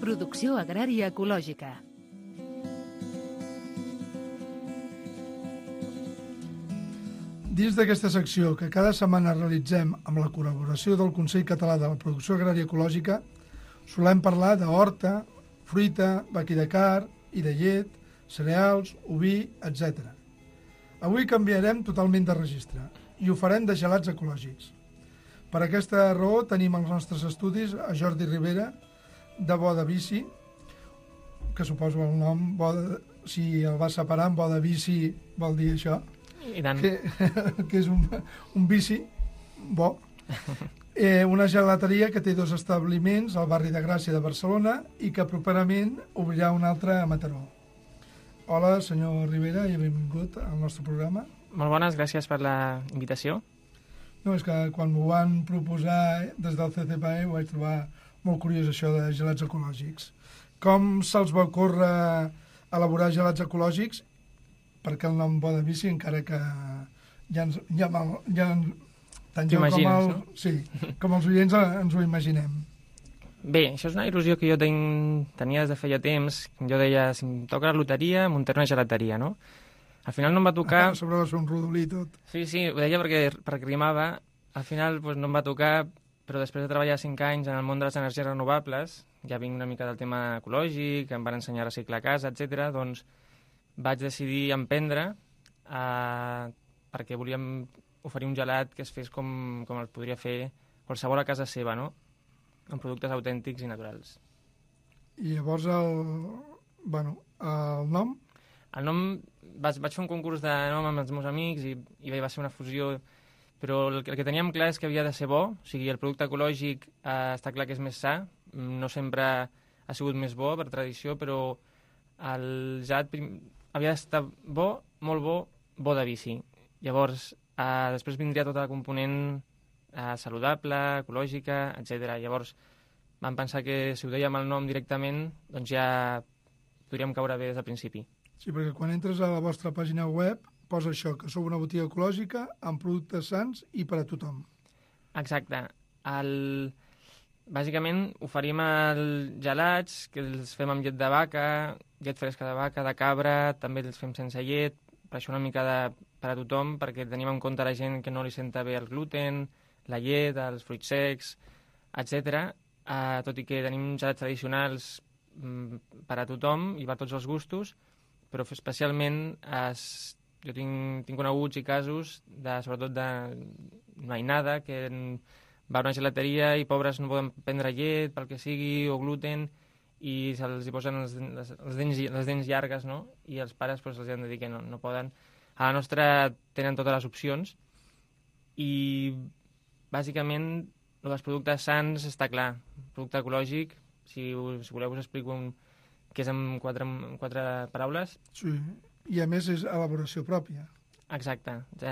Producció agrària ecològica. Dins d'aquesta secció que cada setmana realitzem amb la col·laboració del Consell Català de la Producció Agrària Ecològica, solem parlar d'horta, fruita, vaqui de car i de llet, cereals, oví, etcètera. Avui canviarem totalment de registre i ho farem de gelats ecològics. Per aquesta raó tenim als nostres estudis a Jordi Ribera, de Bo de Bici, que suposo el nom, bo de, si el vas separar amb Bo de Bici vol dir això, I tant. que, que és un, un bici bo. Eh, una gelateria que té dos establiments al barri de Gràcia de Barcelona i que properament obrirà un altre a Mataró. Hola, senyor Ribera, i benvingut al nostre programa. Molt bones, gràcies per la invitació. No, és que quan m'ho van proposar des del C C P E ho vaig trobar molt curiós, això de gelats ecològics. Com se'ls va ocórrer elaborar gelats ecològics? Perquè el nom Bo de Bici, encara que ja ens, ja, ja, tant jo com, el, no? sí, com els oients ens ho imaginem. Bé, això és una il·lusió que jo tenc, tenia des de feia temps. Jo deia, si em toca la loteria, muntaré una gelateria, no? Al final no em va tocar... Ah, sobre va ser un rodolí tot. Sí, sí, ho deia perquè, perquè rimava. Al final pues, no em va tocar, però després de treballar cinc anys en el món de les energies renovables, ja vinc una mica del tema ecològic, em van ensenyar a reciclar a casa, etcètera. Doncs vaig decidir emprendre eh, perquè volíem oferir un gelat que es fes com, com el podria fer qualsevol a casa seva, no? Amb productes autèntics i naturals. I llavors el, bueno, el nom? El nom, vaig, vaig fer un concurs de nom amb els meus amics i, i va ser una fusió, però el, el que teníem clar és que havia de ser bo, o sigui, el producte ecològic eh, està clar que és més sa, no sempre ha sigut més bo per tradició, però el gelat havia d'estar bo, molt bo, bo de bici. Llavors, eh, després vindria tota la component eh, saludable, ecològica, etcètera. Llavors, vam pensar que si ho dèiem el nom directament, doncs ja podríem caure bé des del principi. Sí, perquè quan entres a la vostra pàgina web posa això, que sou una botiga ecològica amb productes sans i per a tothom. Exacte. El... Bàsicament oferim els gelats, que els fem amb llet de vaca, llet fresca de vaca, de cabra, també els fem sense llet, per això una mica de, per a tothom, perquè tenim en compte la gent que no li senta bé el gluten, la llet, els fruits secs, etcètera. Uh, tot i que tenim gelats tradicionals mm, per a tothom i per tots els gustos, però especialment es, jo tinc, tinc coneguts i casos, de, sobretot de mainada, que va a una gelateria i pobres no poden prendre llet, pel que sigui, o gluten, i se'ls hi posen les, les, les, dents, les dents llargues, no? I els pares pues, els han de dir que no, no poden. A la nostra tenen totes les opcions i, bàsicament, els productes sans està clar. Producte ecològic, si, si voleu us explico un, que és en quatre, en quatre paraules. Sí, i a més és elaboració pròpia. Exacte. Tot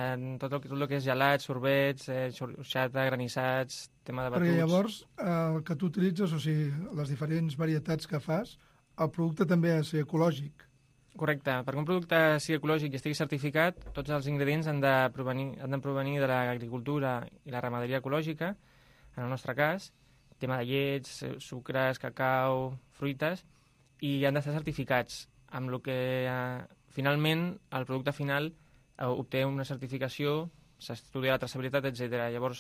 el, tot el que és gelats, sorbets, eh, xorxata, granissats, tema de batuts... Perquè llavors el que tu utilitzes, o sigui, les diferents varietats que fas, el producte també ha de ser ecològic. Correcte. Perquè un producte sigui ecològic i estigui certificat, tots els ingredients han de provenir, han de, provenir de l'agricultura i la ramaderia ecològica, en el nostre cas, tema de llets, sucres, cacau, fruites, i han d'estar certificats, amb el que eh, finalment el producte final obté una certificació, s'estudia la traçabilitat, etcètera. Llavors,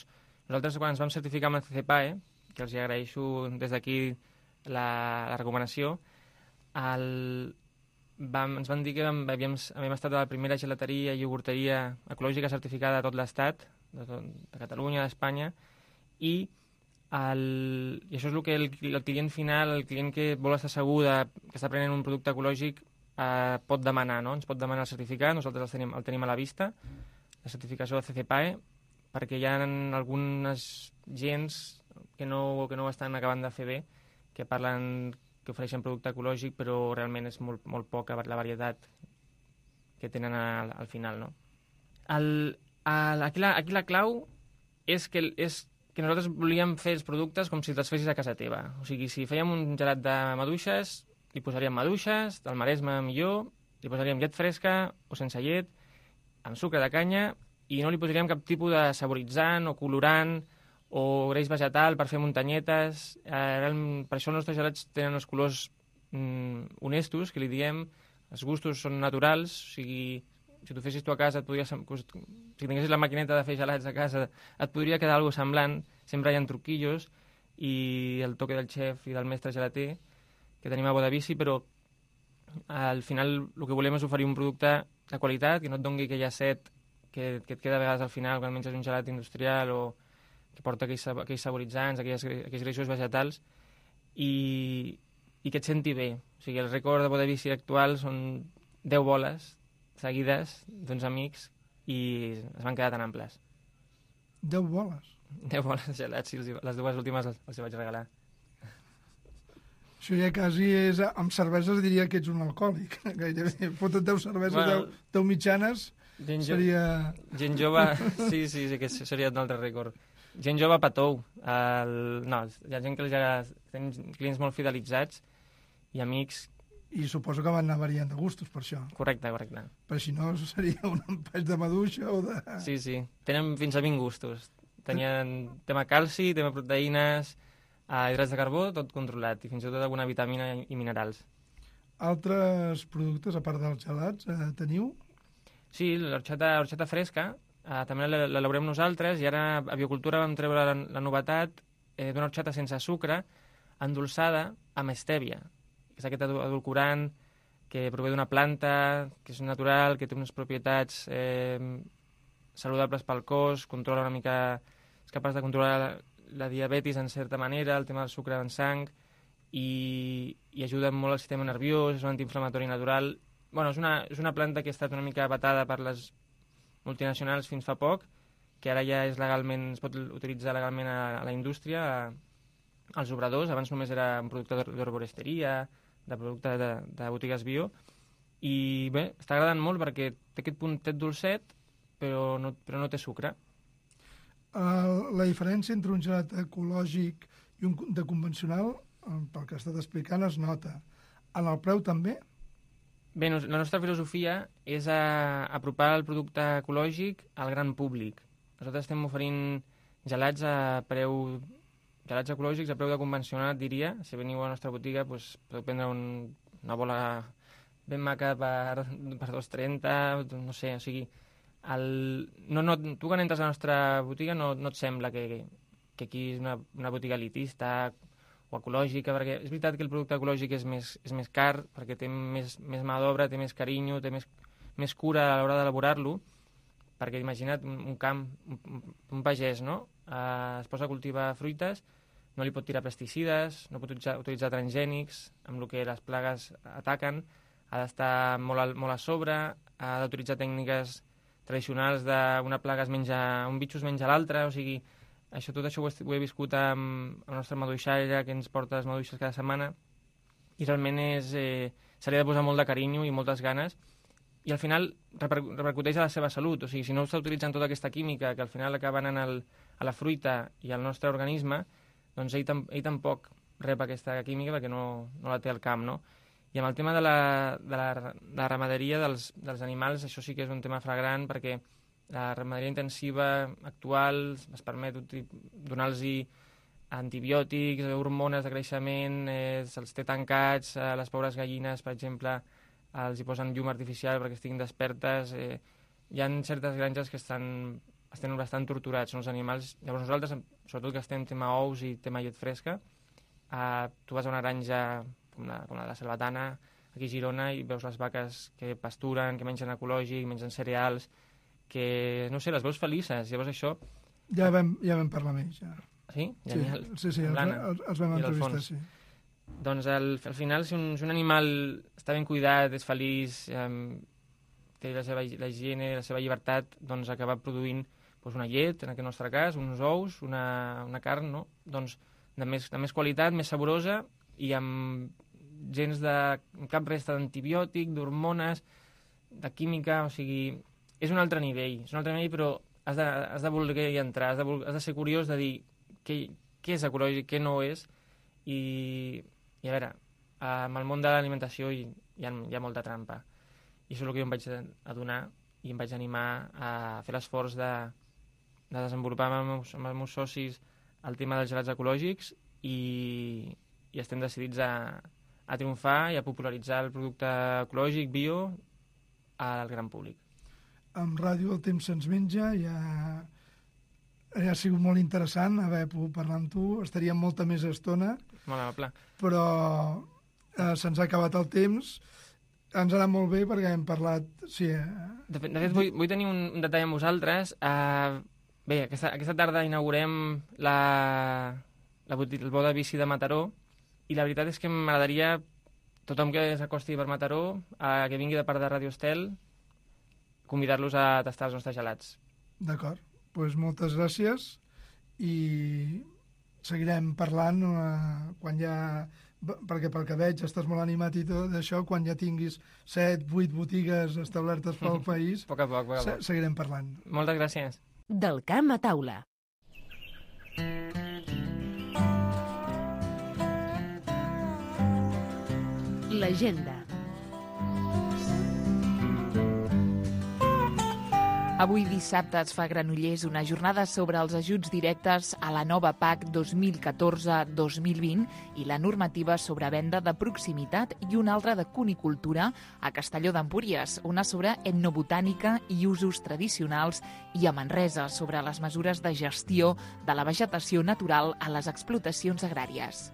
nosaltres quan ens vam certificar amb el C C P E, que els agraeixo des d'aquí la, la recomanació, el, vam, ens van dir que havíem, havíem estat a la primera gelateria i iogurteria ecològica certificada de tot l'Estat, de, tot, de Catalunya, d'Espanya, i, el, i això és el que el, el client final, el client que vol estar segur de, que està prenent un producte ecològic, eh, pot demanar, no? Ens pot demanar el certificat, nosaltres el tenim, el tenim a la vista, la certificació de C C P A E, perquè hi ha algunes gens que no, que no ho estan acabant de fer bé, que parlen que ofereixen producte ecològic, però realment és molt, molt poca la varietat que tenen al, al final, no? El, el, aquí, la, aquí la clau és que, és que nosaltres volíem fer els productes com si te'ls fessis a casa teva. O sigui, si fèiem un gelat de maduixes, li posaríem maduixes, del Maresme millor, li posaríem llet fresca o sense llet, amb sucre de canya, i no li posaríem cap tipus de saboritzant o colorant o greix vegetal per fer muntanyetes. Eh, per això els nostres gelats tenen els colors mm, honestos, que li diem, els gustos són naturals, o sigui, si t'ho fessis tu a casa, et podria, si tinguessis la maquineta de fer gelats a casa, et podria quedar alguna semblant, sempre hi ha truquillos, i el toque del xef i del mestre gelater, que tenim a Bodavici, però al final el que volem és oferir un producte de qualitat, que no et doni aquella set que, que et queda a vegades al final quan menges un gelat industrial o que porta aquells, aquells saboritzants, aquells, aquells greixos vegetals, i, i que et senti bé. O sigui, el rècord de Bodavici actual són deu boles seguides d'uns amics i es van quedar tan amples. Deu boles? Deu boles de gelats, sí, les dues últimes les, les vaig regalar. Això ja quasi és... Amb cerveses diria que ets un alcohòlic, gairebé. Fota't deu cerveses, bueno, deu, deu mitjanes, gent seria... Gent jove, sí, sí, sí, que seria un altre rècord. Gent jove patou. El... No, hi ha gent que ja tenen clients molt fidelitzats i amics. I suposo que van anar variant de gustos, per això. Correcte, correcte. Per si no, seria un empatx de maduixa o de... Sí, sí. Tenen fins a vint gustos. Tenien tema calci, tema proteïnes, eh, hidrats de carbó, tot controlat, i fins i tot alguna vitamina i minerals. Altres productes, a part dels gelats, eh, teniu? Sí, l'orxata fresca, eh, també l'elaborem nosaltres, i ara a Biocultura vam treure la, la novetat eh, d'una orxata sense sucre, endolçada amb estèvia, que és aquest edulcorant que prové d'una planta, que és natural, que té unes propietats eh, saludables pel cos, controla una mica, és capaç de controlar la, la diabetis en certa manera, el tema del sucre en sang, i, i ajuda molt al sistema nerviós, és un antiinflamatori natural. Bueno, és una, és una planta que ha estat una mica vetada per les multinacionals fins fa poc, que ara ja és legalment, es pot utilitzar legalment a, a la indústria, a, als obradors. Abans només era un producte d'herboristeria, de producte de, de botigues bio, i bé, està agradant molt perquè té aquest puntet dolcet, però no, però no té sucre. Uh, la diferència entre un gelat ecològic i un de convencional, pel que has estat explicant, es nota. En el preu també? Bé, no, la nostra filosofia és a, apropar el producte ecològic al gran públic. Nosaltres estem oferint gelats a preu... gelats ecològics a preu de convencional, diria. Si veniu a la nostra botiga, doncs, podeu prendre un, una bola ben maca per, per dos coma trenta, no sé, o sigui... El, no, no, tu quan entres a la nostra botiga no, no et sembla que, que aquí és una, una botiga elitista o ecològica, perquè és veritat que el producte ecològic és més, és més car, perquè té més, més mà d'obra, té més carinyo, té més, més cura a l'hora d'elaborar-lo, perquè imagina't un, un camp, un, un pagès, no? Eh, es posa a cultivar fruites, no li pot tirar pesticides, no pot utilitzar, utilitzar transgènics, amb el que les plagues ataquen, ha d'estar molt, a, molt a sobre, ha d'utilitzar tècniques tradicionals d'una plaga es menja, un bitxo es menja l'altre, o sigui, això, tot això ho he, ho he viscut amb, amb el nostre maduixaire, que ens porta les maduixes cada setmana, i realment és, eh, se li ha de posar molt de carinyo i moltes ganes, i al final reper, repercuteix a la seva salut, o sigui, si no està utilitzant tota aquesta química que al final acaba anant al, a la fruita i al nostre organisme, doncs ell, tam, ell tampoc rep aquesta química perquè no, no la té al camp, no? I amb el tema de la, de la, de la ramaderia dels, dels animals, això sí que és un tema flagrant, perquè la ramaderia intensiva actual es permet donar-los antibiòtics, hormones de creixement, eh, se'ls té tancats, a les pobres gallines, per exemple, els hi posen llum artificial perquè estiguin despertes. Eh, hi ha certes granges que estan, estan bastant torturats, són els animals. Llavors nosaltres, sobretot que estem tema ous i tema llet fresca, eh, tu vas a una granja com la, com la de Salvatana, aquí a Girona, i veus les vaques que pasturen, que mengen ecològic, mengen cereals, que, no sé, les veus felices. Llavors això... Ja vam, ja vam parlar amb ells, ja. Sí? Genial. Sí, sí, sí els, els, els vam entrevistar, sí. Doncs al, al final, si un, si un animal està ben cuidat, és feliç, eh, té la seva la higiene, la seva llibertat, doncs acaba produint doncs, una llet, en aquest nostre cas, uns ous, una, una carn, no? Doncs de més, de més qualitat, més saborosa i amb gens de cap resta d'antibiòtic, d'hormones, de química, o sigui, és un altre nivell, és un altre nivell, però has de, has de voler entrar, has de, has de ser curiós de dir què, què és ecològic, què no és, i, i a veure, amb el món de l'alimentació hi, hi, ha, hi ha molta trampa, i això és el que jo em vaig adonar i em vaig animar a fer l'esforç de, de desenvolupar amb els, meus, amb els meus socis el tema dels gelats ecològics i, i estem decidits a, a triomfar i a popularitzar el producte ecològic, bio, al gran públic. Amb Ràdio El Temps Se'ns Menja ja, ja ha sigut molt interessant haver pogut parlar amb tu, estaríem molta més estona. Molt amable. Però eh, se'ns ha acabat el temps, ens ha anat molt bé perquè hem parlat... Sí, eh... De fet, de fet vull, vull tenir un, un detall amb vosaltres. Uh, bé, aquesta, aquesta tarda inaugurem la, la, el bo de bici de Mataró i la veritat és que m'agradaria tothom que s'acosti per Mataró, uh, que vingui de part de Radio Estel, convidar-los a tastar els nostres gelats. D'acord, doncs moltes gràcies i seguirem parlant uh, quan ja, perquè pel que veig estàs molt animat i tot això, quan ja tinguis set, vuit botigues establertes pel país, poc a poc, poc a poc. Seguirem parlant. Moltes gràcies. Del camp a taula. L'agenda. Avui dissabte es fa a Granollers una jornada sobre els ajuts directes a la nova P A C dos mil catorze dos mil vint i la normativa sobre venda de proximitat i una altra de cunicultura a Castelló d'Empúries, una sobre etnobotànica i usos tradicionals, i a Manresa sobre les mesures de gestió de la vegetació natural a les explotacions agràries.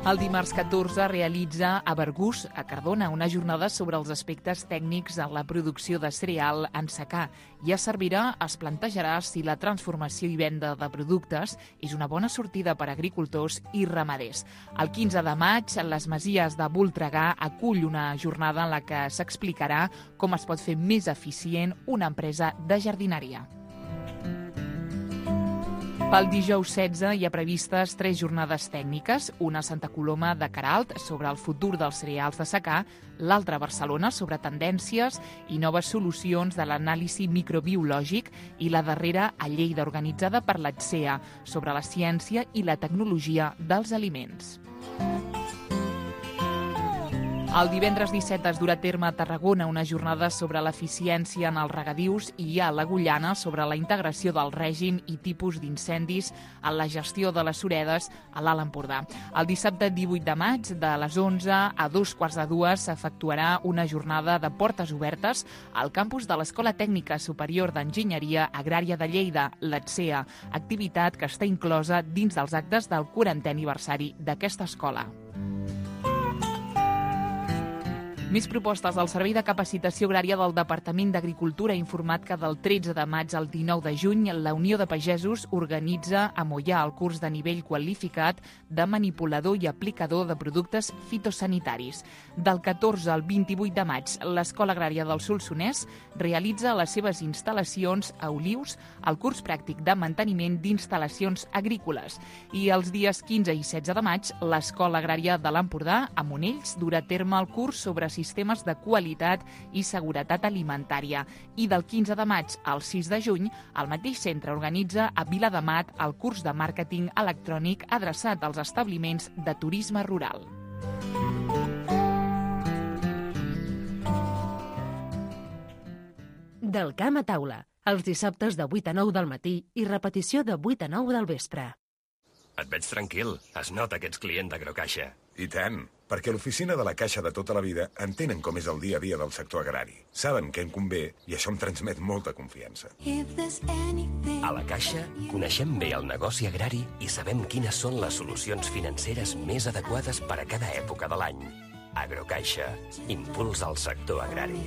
El dimarts catorze realitza a Bergús, a Cardona, una jornada sobre els aspectes tècnics en la producció de cereal en secà, i a Cervera es plantejarà si la transformació i venda de productes és una bona sortida per a agricultors i ramaders. El quinze de maig, les Masies de Voltregà acull una jornada en la que s'explicarà com es pot fer més eficient una empresa de jardineria. Pel dijous setze hi ha previstes tres jornades tècniques, una a Santa Coloma de Queralt sobre el futur dels cereals de secà, l'altra a Barcelona sobre tendències i noves solucions de l'anàlisi microbiològic i la darrera a Lleida organitzada per l'A T S E A sobre la ciència i la tecnologia dels aliments. El divendres disset es durà a terme a Tarragona una jornada sobre l'eficiència en els regadius i a l'Agullana sobre la integració del règim i tipus d'incendis en la gestió de les suredes a l'Alt Empordà. El dissabte divuit de maig, de les onze a dos quarts de dues, s'efectuarà una jornada de portes obertes al campus de l'Escola Tècnica Superior d'Enginyeria Agrària de Lleida, l'A T S E A, activitat que està inclosa dins dels actes del quarantè aniversari d'aquesta escola. Més propostes. El Servei de Capacitació Agrària del Departament d'Agricultura ha informat que del tretze de maig al dinou de juny la Unió de Pagesos organitza a Moià el curs de nivell qualificat de manipulador i aplicador de productes fitosanitaris. Del catorze al vint-i-vuit de maig, l'Escola Agrària del Solsonès realitza a les seves instal·lacions a Olius el curs pràctic de manteniment d'instal·lacions agrícoles. I els dies quinze i setze de maig, l'Escola Agrària de l'Empordà, a Monells, durà a terme el curs sobre sistemes de qualitat i seguretat alimentària. I del quinze de maig al sis de juny, el mateix centre organitza a Viladamat el curs de màrqueting electrònic adreçat als establiments de turisme rural. Del camp a taula, els dissabtes de vuit a nou del matí i repetició de vuit a nou del vespre. Et veig tranquil. Es nota que ets client d'Agrocaixa. I tant, perquè l'oficina de la Caixa de tota la vida entenen com és el dia a dia del sector agrari. Saben què en convé i això em transmet molta confiança. A la Caixa coneixem bé el negoci agrari i sabem quines són les solucions financeres més adequades per a cada època de l'any. Agrocaixa, impuls al sector agrari.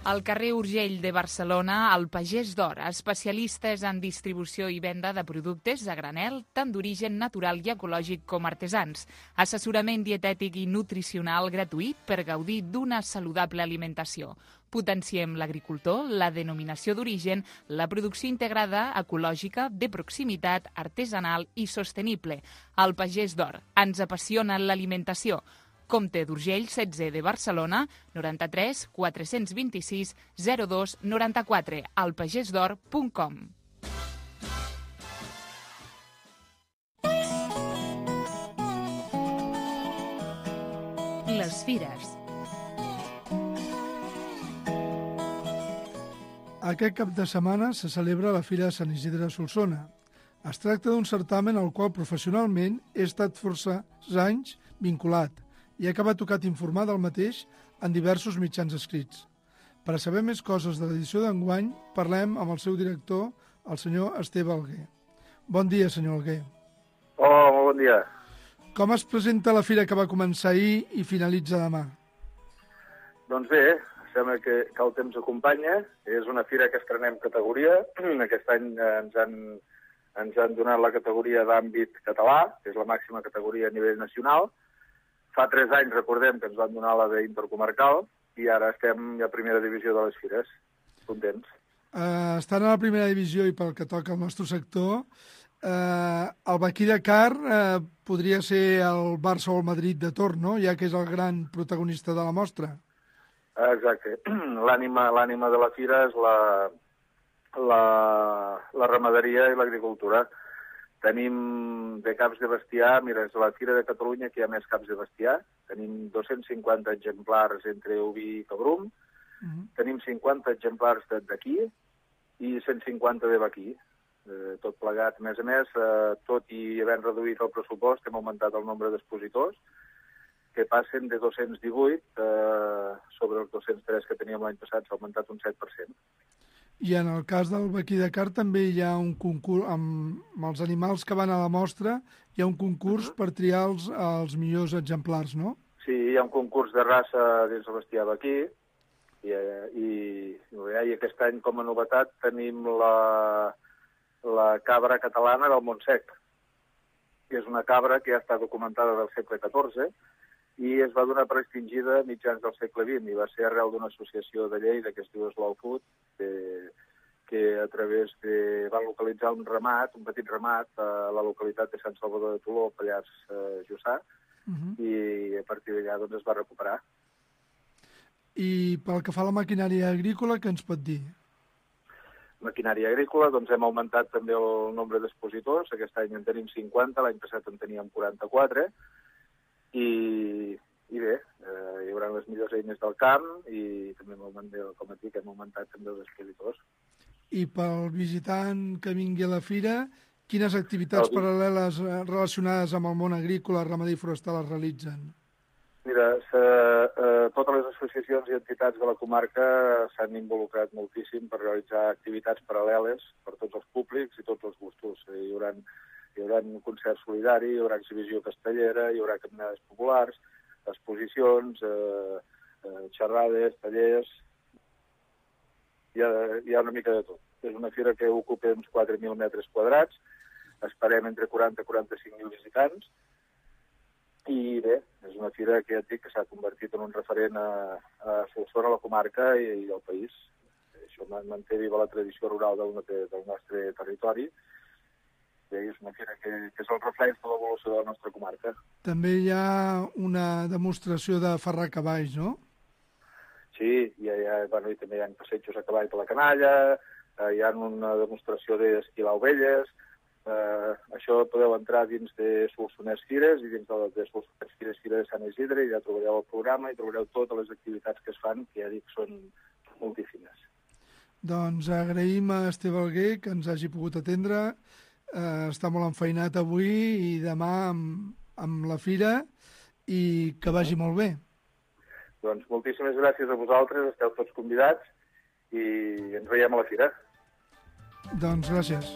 Al carrer Urgell de Barcelona, el Pagès d'Or, especialistes en distribució i venda de productes a granel, tant d'origen natural i ecològic com artesans. Assessorament dietètic i nutricional gratuït per gaudir d'una saludable alimentació. Potenciem l'agricultor, la denominació d'origen, la producció integrada, ecològica, de proximitat, artesanal i sostenible. El Pagès d'Or. Ens apassiona l'alimentació. Comte d'Urgell, setze de Barcelona, noranta-tres quatre-cents vint-i-sis zero dos noranta-quatre, alpagesdor punt com. Les fires. Aquest cap de setmana se celebra la Fira de Sant Isidre de Solsona. Es tracta d'un certamen al qual professionalment he estat força anys vinculat i acaba tocat informar del mateix en diversos mitjans escrits. Per a saber més coses de l'edició d'enguany, parlem amb el seu director, el senyor Esteve Alguer. Bon dia, senyor Alguer. Hola, molt bon dia. Com es presenta la fira que va començar ahir i finalitza demà? Doncs bé, sembla que, que el temps acompanya. És una fira que estrenem categoria. Aquest any ens han, ens han donat la categoria d'àmbit català, que és la màxima categoria a nivell nacional. Fa tres anys, recordem, que ens van donar la d'intercomarcal i ara estem a primera divisió de les fires. Contents. Uh, estan a la primera divisió i pel que toca al nostre sector, uh, el Baquí de Car uh, podria ser el Barça o el Madrid de torn, no? Ja que és el gran protagonista de la mostra. Exacte. L'ànima l'ànima de la fira és la, la, la ramaderia i l'agricultura. Tenim de caps de bestiar, mira, és la Fira de Catalunya que hi ha més caps de bestiar. Tenim dos-cents cinquanta exemplars entre oví i cabrum, uh-huh. Tenim cinquanta exemplars d'aquí i cent cinquanta de vaquí. Eh, tot plegat, a més a més, eh, tot i havent reduït el pressupost, hem augmentat el nombre d'expositors, que passen de dos-cents divuit eh, sobre els dos-cents tres que teníem l'any passat, s'ha augmentat un set per cent. I en el cas del Baquí de Car també hi ha un concurs, amb, amb els animals que van a la mostra, hi ha un concurs uh-huh. per triar els, els millors exemplars, no? Sí, hi ha un concurs de raça dins el bestiar vaquí, i, i, i aquest any, com a novetat, tenim la, la cabra catalana del Montsec, que és una cabra que ja està documentada del segle catorze, i es va donar per extingida mitjans del segle vint, i va ser arrel d'una associació de Lleida que es diu Slow Food, que, que a través de... van localitzar un ramat, un petit ramat, a la localitat de Sant Salvador de Toló, Pallars eh, Jussà, uh-huh. i a partir d'allà doncs, es va recuperar. I pel que fa a la maquinària agrícola, què ens pot dir? Maquinària agrícola, doncs hem augmentat també el nombre d'expositors, aquest any en tenim cinquanta, l'any passat en teníem quaranta-quatre, I, i bé, eh, hi haurà les millors eines del camp i també, com et dic, hem augmentat també els expositors. I pel visitant que vingui a la fira, quines activitats el... paral·leles relacionades amb el món agrícola, ramader i forestal es realitzen? Mira, se, eh, totes les associacions i entitats de la comarca s'han involucrat moltíssim per realitzar activitats paral·leles per tots els públics i tots els gustos. Hi haurà Hi haurà un concert solidari, hi haurà exhibició castellera, hi haurà caminades populars, exposicions, eh, eh, xerrades, tallers... Hi ha, hi ha una mica de tot. És una fira que ocupa uns quatre mil metres quadrats, esperem entre quaranta i quaranta-cinc mil visitants, i bé, és una fira que ja et dic que s'ha convertit en un referent a, a Solsona, a la comarca i, i al país. Això manté viva la tradició rural del, del nostre territori, és una fira que, que és el reflex de l'evolució de la nostra comarca. També hi ha una demostració de ferrar cavalls, no? Sí, hi ha, hi ha, bueno, i també hi ha passejos a cavall per la canalla, eh, hi ha una demostració d'esquilar ovelles, eh, això podeu entrar dins de Solsonès Fires i dins de, de Solsonès Fires Fira de Sant Isidre, i ja trobareu el programa i trobareu totes les activitats que es fan, que ja dic són moltíssimes. Doncs agraïm a Esteve Alguer que ens hagi pogut atendre. Uh, està molt enfeinat avui i demà amb, amb la fira i que vagi molt bé. Doncs moltíssimes gràcies a vosaltres, esteu tots convidats i ens veiem a la fira. Doncs gràcies.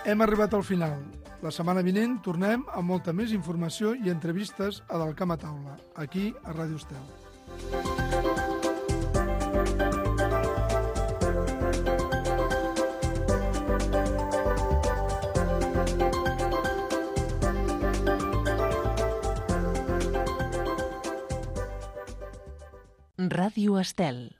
Hem arribat al final. La setmana vinent tornem amb molta més informació i entrevistes a Del Camp a Taula, aquí a Ràdio Estel. Ràdio Estel.